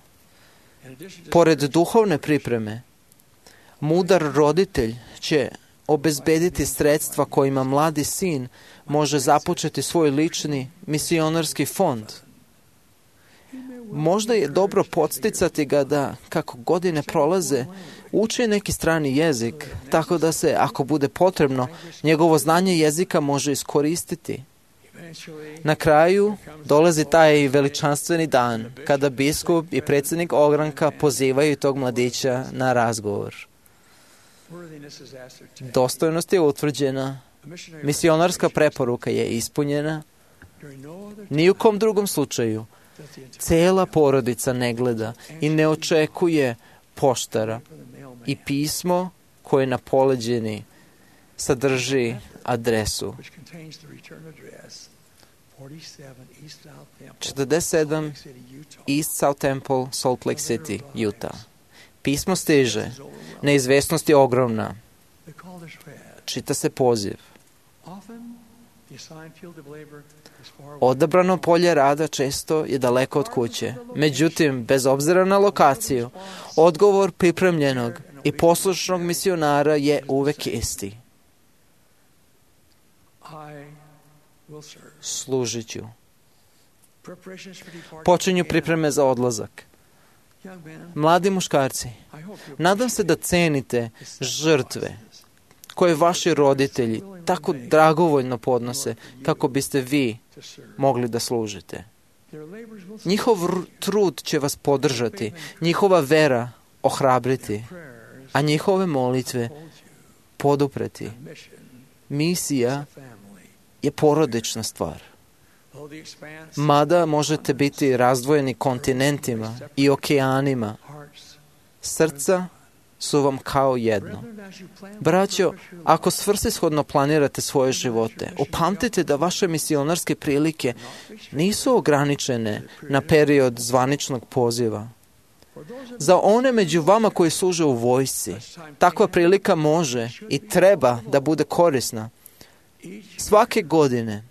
Pored duhovne pripreme, mudar roditelj će obezbediti sredstva kojima mladi sin može započeti svoj lični misionarski fond. Možda je dobro podsticati ga da, kako godine prolaze, uči neki strani jezik, tako da se, ako bude potrebno, njegovo znanje jezika može iskoristiti. Na kraju dolazi taj veličanstveni dan, kada biskup i predsjednik ogranka pozivaju tog mladića na razgovor. Dostojnost je utvrđena, misionarska preporuka je ispunjena. Ni u kom drugom slučaju cela porodica ne gleda i ne očekuje poštara i pismo koje na poleđini sadrži adresu 47 East South Temple, Salt Lake City, Utah. Pismo stiže, neizvesnost je ogromna. Čita se poziv. Odabrano polje rada često je daleko od kuće. Međutim, bez obzira na lokaciju, odgovor pripremljenog i poslušnog misionara je uvek isti. Služit ću. Počinju pripreme za odlazak. Mladi muškarci, nadam se da cenite žrtve koje vaši roditelji tako dragovoljno podnose kako biste vi mogli da služite. Njihov trud će vas podržati, njihova vera ohrabriti, a njihove molitve podupreti. Misija je porodična stvar. Mada možete biti razdvojeni kontinentima i okeanima, srca su vam kao jedno. Braćo, ako svrsishodno planirate svoje živote, upamtite da vaše misionarske prilike nisu ograničene na period zvaničnog poziva. Za one među vama koji služe u vojsci, takva prilika može i treba da bude korisna. Svake godine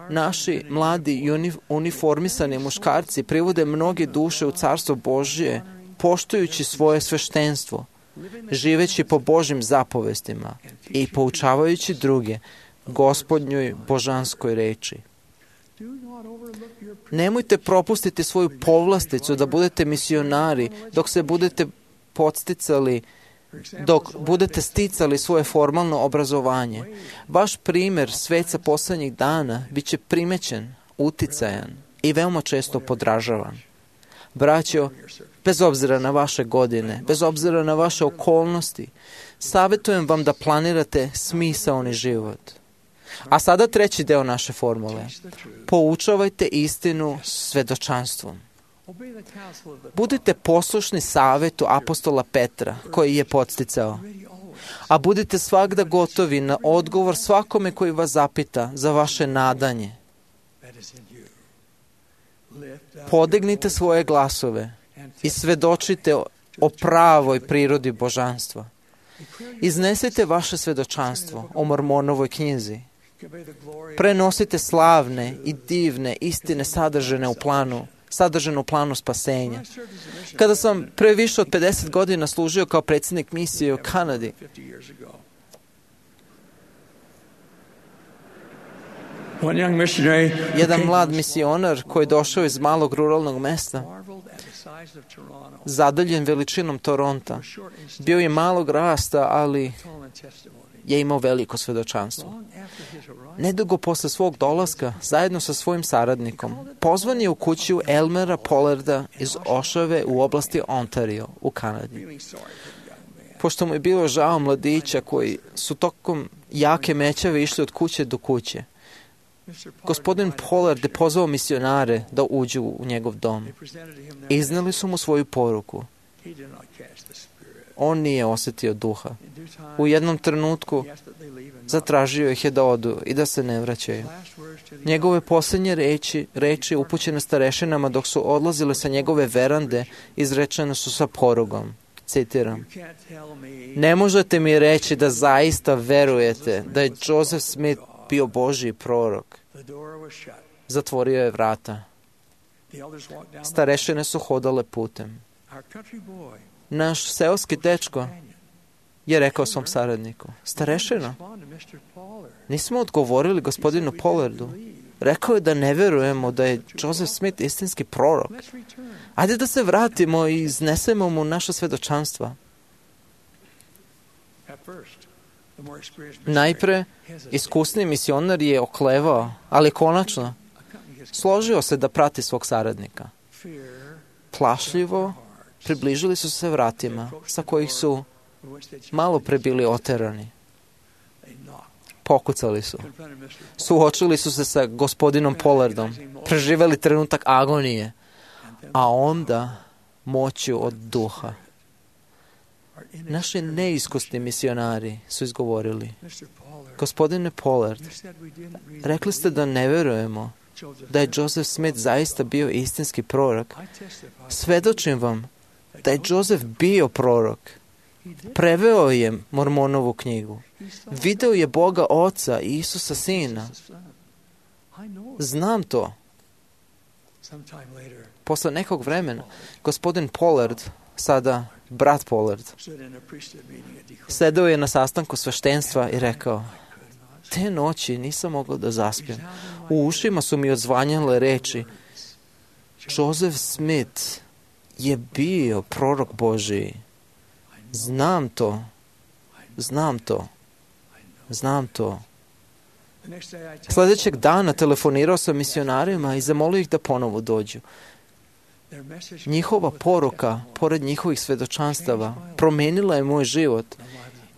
naši mladi i uniformisani muškarci privode mnoge duše u Carstvo Božje, poštujući svoje sveštenstvo, živeći po Božjim zapovestima i poučavajući druge Gospodnjoj božanskoj reči. Nemojte propustiti svoju povlasticu da budete misionari dok se budete podsticali, dok budete sticali svoje formalno obrazovanje. Vaš primjer sveca posljednjih dana bit će primećen, uticajan i veoma često podražavan. Braćo, bez obzira na vaše godine, bez obzira na vaše okolnosti, savjetujem vam da planirate smisaoni život. A sada treći deo naše formule. Poučavajte istinu svedočanstvom. Budite poslušni savjetu apostola Petra, koji je podsticao. A budite svagda gotovi na odgovor svakome koji vas zapita za vaše nadanje. Podignite svoje glasove i svedočite o pravoj prirodi božanstva. Iznesite vaše svedočanstvo o Mormonovoj knjizi. Prenosite slavne i divne istine sadržane u planu spasenja. Kada sam pre više od 50 godina služio kao predsjednik misije u Kanadi, jedan mlad misionar koji je došao iz malog ruralnog mesta, zadaljen veličinom Toronta, bio je malog rasta, ali je imao veliko svedočanstvo. Nedugo posle svog dolaska, zajedno sa svojim saradnikom, pozvan je u kuću Elmera Pollarda iz Ošave u oblasti Ontario u Kanadi. Pošto mu je bilo žao mladića koji su tokom jake mećave išli od kuće do kuće, gospodin Pollard je pozvao misionare da uđu u njegov dom. Izneli su mu svoju poruku. On nije osjetio duha. U jednom trenutku zatražio ih je da odu i da se ne vraćaju. Njegove posljednje reči upućene starešinama dok su odlazile sa njegove verande izrečene su sa porugom. Citiram: "Ne možete mi reći da zaista verujete da je Joseph Smith bio Božji prorok." Zatvorio je vrata. Starešine su hodale putem. Naš seoski dečko je rekao svom saradniku: "Starešino, nismo odgovorili gospodinu Pollardu. Rekao je da ne verujemo da je Joseph Smith istinski prorok. Ajde da se vratimo i iznesemo mu naša svedočanstva." Najpre, iskusni misionar je oklevao, ali konačno složio se da prati svog saradnika. Plašljivo približili su se vratima, sa kojih su malo pre bili oterani. Pokucali su. Suočili su se sa gospodinom Pollardom, preživeli trenutak agonije, a onda moću od duha. Naši neiskusni misionari su izgovorili: "Gospodine Pollard, rekli ste da ne verujemo da je Joseph Smith zaista bio istinski prorok. Svedočim vam da je Joseph bio prorok. Preveo je Mormonovu knjigu. Video je Boga Oca i Isusa Sina. Znam to." Posle nekog vremena, gospodin Pollard, sada brat Pollard, sedeo je na sastanku sveštenstva i rekao: "Te noći nisam mogao da zaspijem. U ušima su mi odzvanjale reči: Joseph Smith je bio prorok Božiji. Znam to. Znam to. Znam to." Sljedećeg dana telefonirao sam misionarima i zamolio ih da ponovo dođu. Njihova poruka, pored njihovih svedočanstava, promijenila je moj život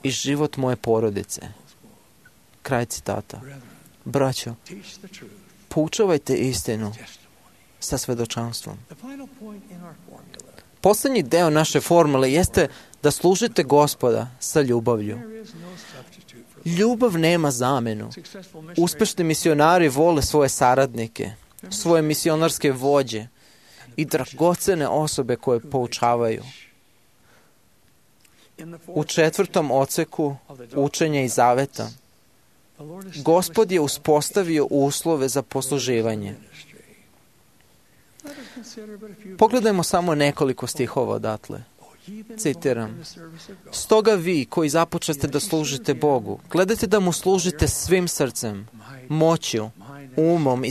i život moje porodice. Kraj citata. Braćo, poučavajte istinu sa svedočanstvom. Posljednji deo naše formule jeste da služite Gospoda sa ljubavlju. Ljubav nema zamenu. Uspešni misionari vole svoje saradnike, svoje misionarske vođe i dragocene osobe koje poučavaju. U 4. odseku učenja i zaveta Gospod je uspostavio uslove za posluživanje. Pogledajmo samo nekoliko stihova odatle. Citiram: "Stoga vi koji započete da služite Bogu, gledajte da mu služite svim srcem, moću, umom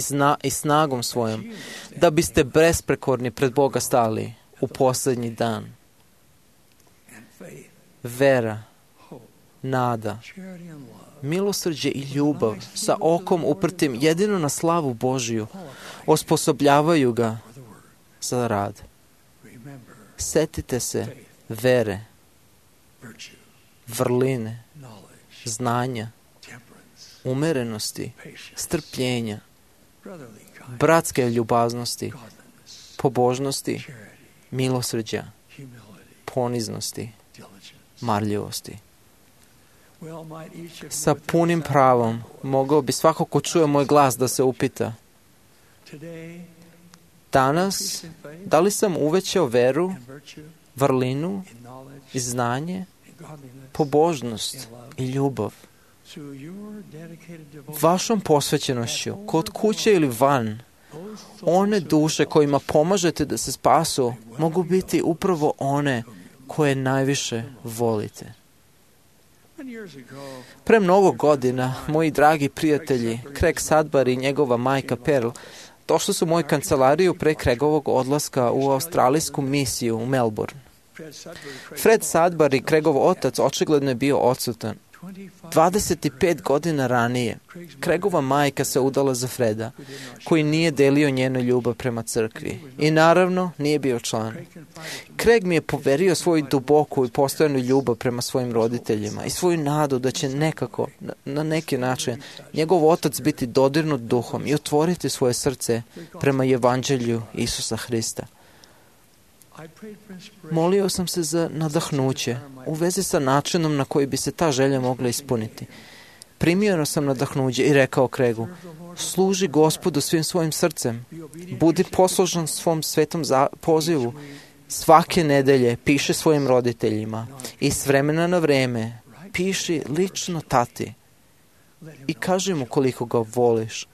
i snagom svojom, da biste besprekorni pred Boga stali u posljednji dan. Vera, nada, milosrđe i ljubav sa okom uprtim jedino na slavu Božiju osposobljavaju ga za rad. Setite se vere, vrline, znanja, umerenosti, strpljenja, bratske ljubaznosti, pobožnosti, milosrđa, poniznosti, marljivosti. Sa punim pravom mogao bi svako ko čuje moj glas da se upita: danas, da li sam uvećao veru, vrlinu i znanje, pobožnost i ljubav? Vašom posvećenošću, kod kuće ili van, one duše kojima pomažete da se spasu mogu biti upravo one koje najviše volite. Pre mnogo godina, moji dragi prijatelji, Craig Sudbury i njegova majka Pearl, došli su u moju kancelariju pre Craigovog odlaska u australijsku misiju u Melbourne. Fred Sudbury, Craigov otac, očigledno je bio odsutan. 25 godina ranije, Craigova majka se udala za Freda, koji nije delio njenu ljubav prema crkvi i naravno nije bio član. Craig mi je poverio svoju duboku i postojanu ljubav prema svojim roditeljima i svoju nadu da će nekako, na neki način, njegov otac biti dodirnut duhom i otvoriti svoje srce prema evanđelju Isusa Hrista. Molio sam se za nadahnuće u vezi sa načinom na koji bi se ta želja mogla ispuniti. Primio sam nadahnuće i rekao Craigu: služi Gospodu svim svojim srcem, budi poslušan svom svetom pozivu, svake nedelje piši svojim roditeljima i s vremena na vreme piši lično tati i kaži mu koliko ga voliš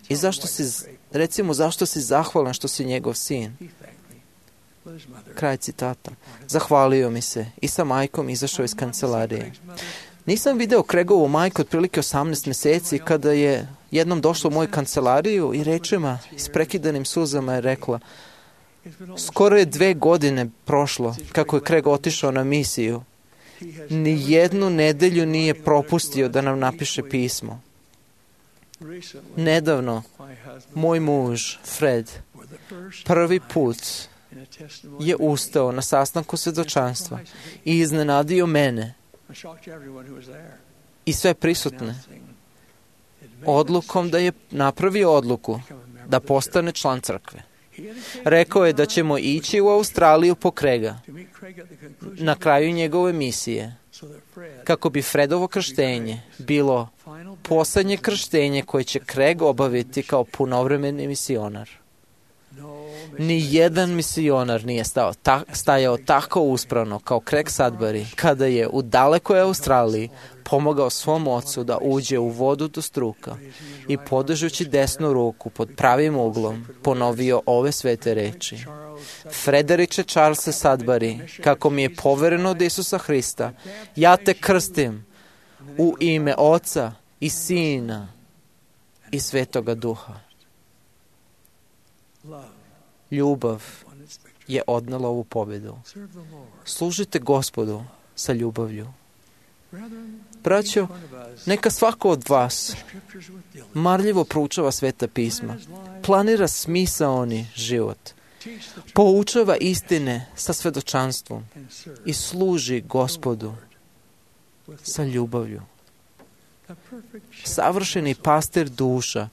i zašto si zahvalan što si njegov sin. Kraj citata. Zahvalio mi se i sa majkom izašao iz kancelarije. Nisam video Craigovu majku otprilike 18 mjeseci kada je jednom došla u moju kancelariju i rečima, s prekidanim suzama je rekla: skoro je 2 godine prošlo kako je Craig otišao na misiju. Ni jednu nedelju nije propustio da nam napiše pismo. Nedavno, moj muž, Fred, prvi put je ustao na sastanku svjedočanstva i iznenadio mene i sve prisutne odlukom da je napravio odluku da postane član crkve. Rekao je da ćemo ići u Australiju po Craiga na kraju njegove misije, kako bi Fredovo krštenje bilo posljednje krštenje koje će Craig obaviti kao punovremeni misionar. Ni jedan misionar nije stajao tako uspravno kao Craig Sudbury kada je u dalekoj Australiji pomogao svom ocu da uđe u vodu do struka i podižući desnu ruku pod pravim uglom ponovio ove svete reči: Frederiče Charlese Sudbury, kako mi je povereno od Isusa Hrista, ja te krstim u ime Oca i Sina i Svetoga Duha. Ljubav je odnela ovu pobjedu. Služite Gospodu sa ljubavlju. Braćo, neka svako od vas marljivo proučava sveta pisma, planira smisaoni život, poučava istine sa svjedočanstvom i služi Gospodu sa ljubavlju. Savršeni pastir duša,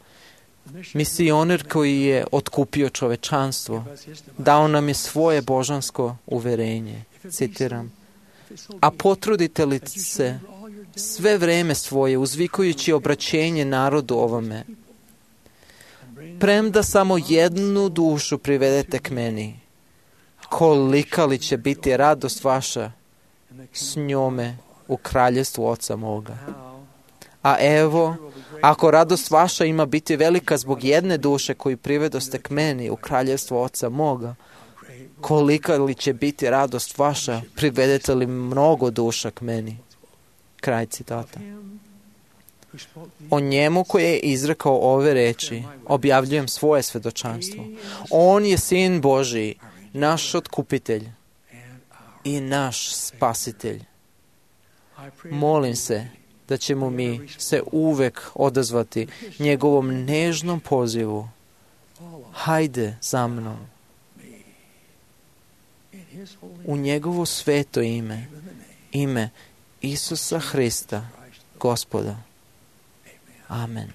misioner koji je otkupio čovečanstvo, dao nam je svoje božansko uverenje. Citiram: a potrudite li se sve vreme svoje uzvikujući obraćenje narodu ovome, premda samo jednu dušu privedete k meni, kolika li će biti radost vaša s njome u kraljevstvu Oca moga. A evo, ako radost vaša ima biti velika zbog jedne duše koju privedoste k meni u kraljevstvo Oca moga, kolika li će biti radost vaša privedete li mnogo duša k meni. Kraj citata. O njemu koji je izrekao ove reči, objavljujem svoje svedočanstvo. On je Sin Božiji, naš otkupitelj i naš spasitelj. Molim se da ćemo mi se uvek odazvati njegovom nežnom pozivu. Hajde za mnom. U njegovo sveto ime, ime Isusa Hrista, Gospoda. Amen.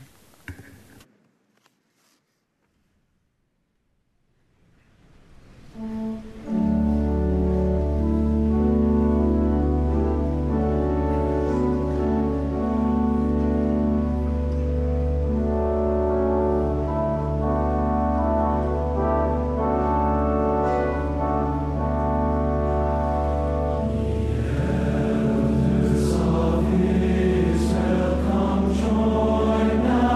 Now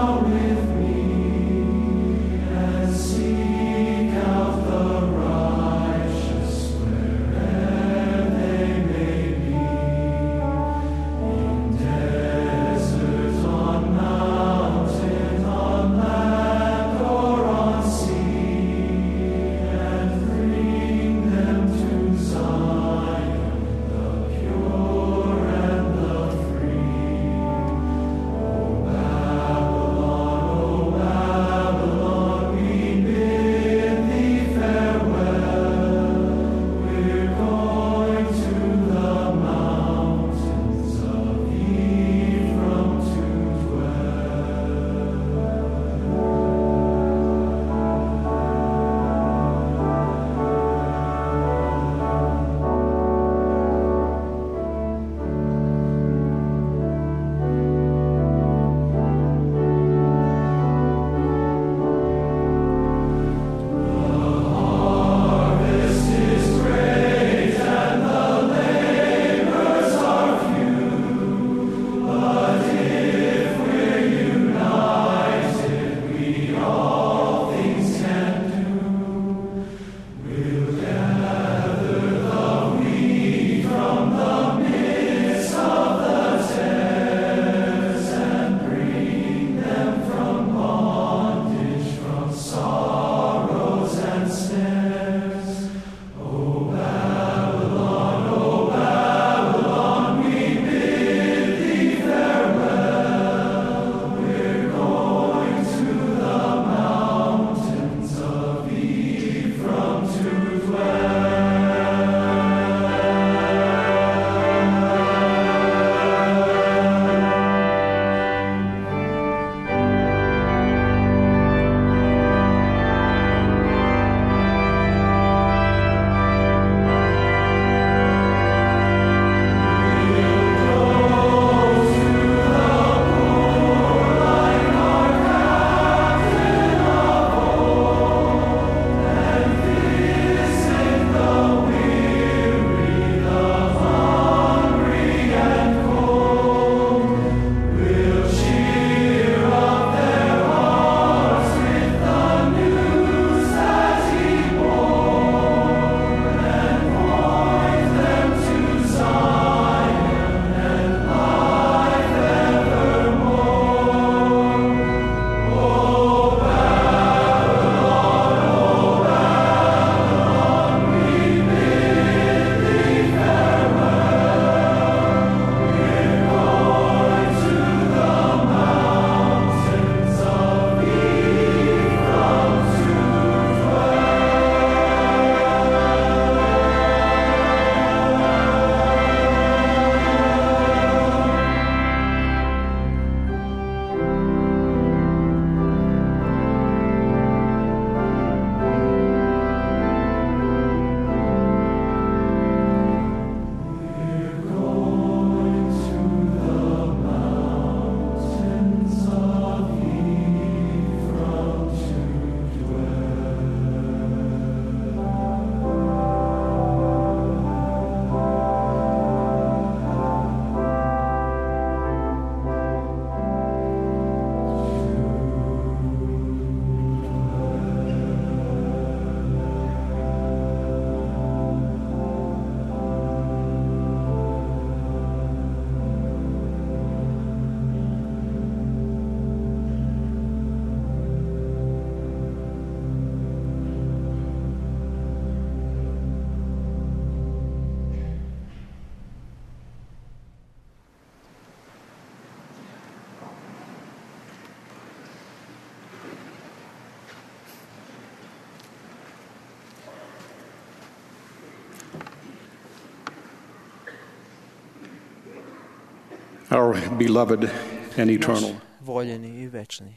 Our beloved and eternal. Naš voljeni i večni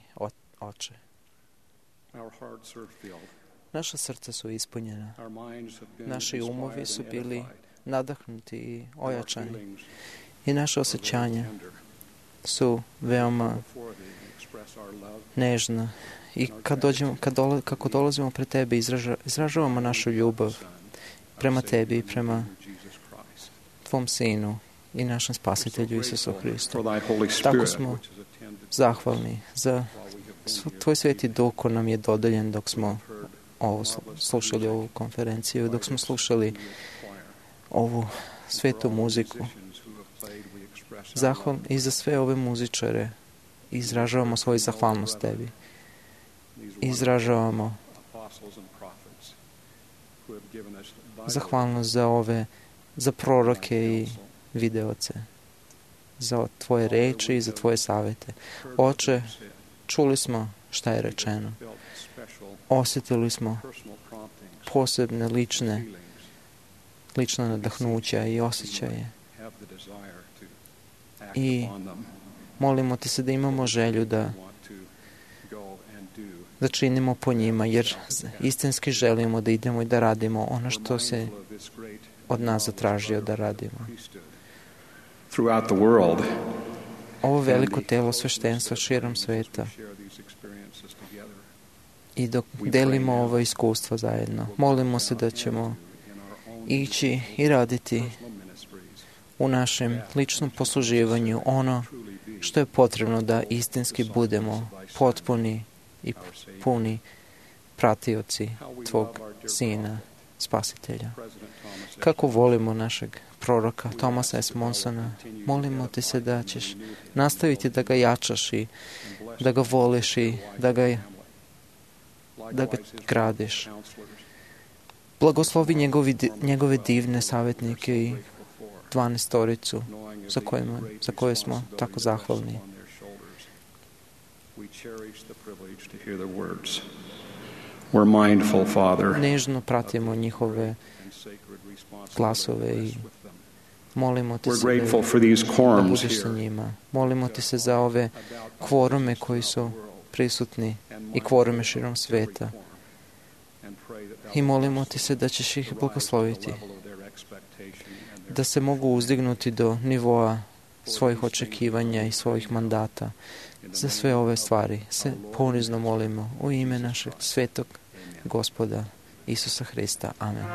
Oče. Our hearts are filled. Naša srca su ispunjena. Our minds have been Naši umovi inspired su and bili edified. nadahnuti i Our ojačani. feelings I naše are osjećanja very tender. su veoma Before thee we express our love. nežna. I kako dolazimo pred Tebe, izražavamo našu ljubav prema Tebi i prema Tvom Sinu i našem Spasitelju Isusu Hristu. For thy Holy Tako Spirit, smo which is attended zahvalni za Tvoj Sveti Duh ko nam je dodeljen dok smo slušali ovu konferenciju, dok smo slušali ovu svetu muziku. I za sve ove muzičare izražavamo svoju zahvalnost Tebi. Izražavamo zahvalnost za proroke i videoce, za Tvoje reči i za Tvoje savete. Oče, čuli smo šta je rečeno. Osjetili smo posebne lična nadahnuća i osjećaje. I molimo Te se da imamo želju da činimo po njima, jer istinski želimo da idemo i da radimo ono što se od nas zatražio da radimo. throughout the world. Ovo veliko telo sveštenstva širom sveta i dok delimo ovo iskustvo zajedno, molimo se da ćemo ići i raditi u našem ličnom posluživanju ono što je potrebno da istinski budemo potpuni i puni pratioci Tvog Sina, Spasitelja. Kako volimo našeg proroka Thomasa S. Monsona, molimo Te se da ćeš nastaviti da ga jačaš i da ga voliš i da ga gradiš. Blagoslovi njegove divne savjetnike i 12-toricu za koje smo tako zahvalni. Nežno pratimo njihove glasove i molimo Te se da budeš sa njima. Molimo Te se za ove kvorume koji su prisutni i kvorume širom sveta. I molimo Te se da ćeš ih blagosloviti, da se mogu uzdignuti do nivoa svojih očekivanja i svojih mandata. Za sve ove stvari se ponizno molimo u ime našeg svetog Gospoda Isusa Hrista. Amen.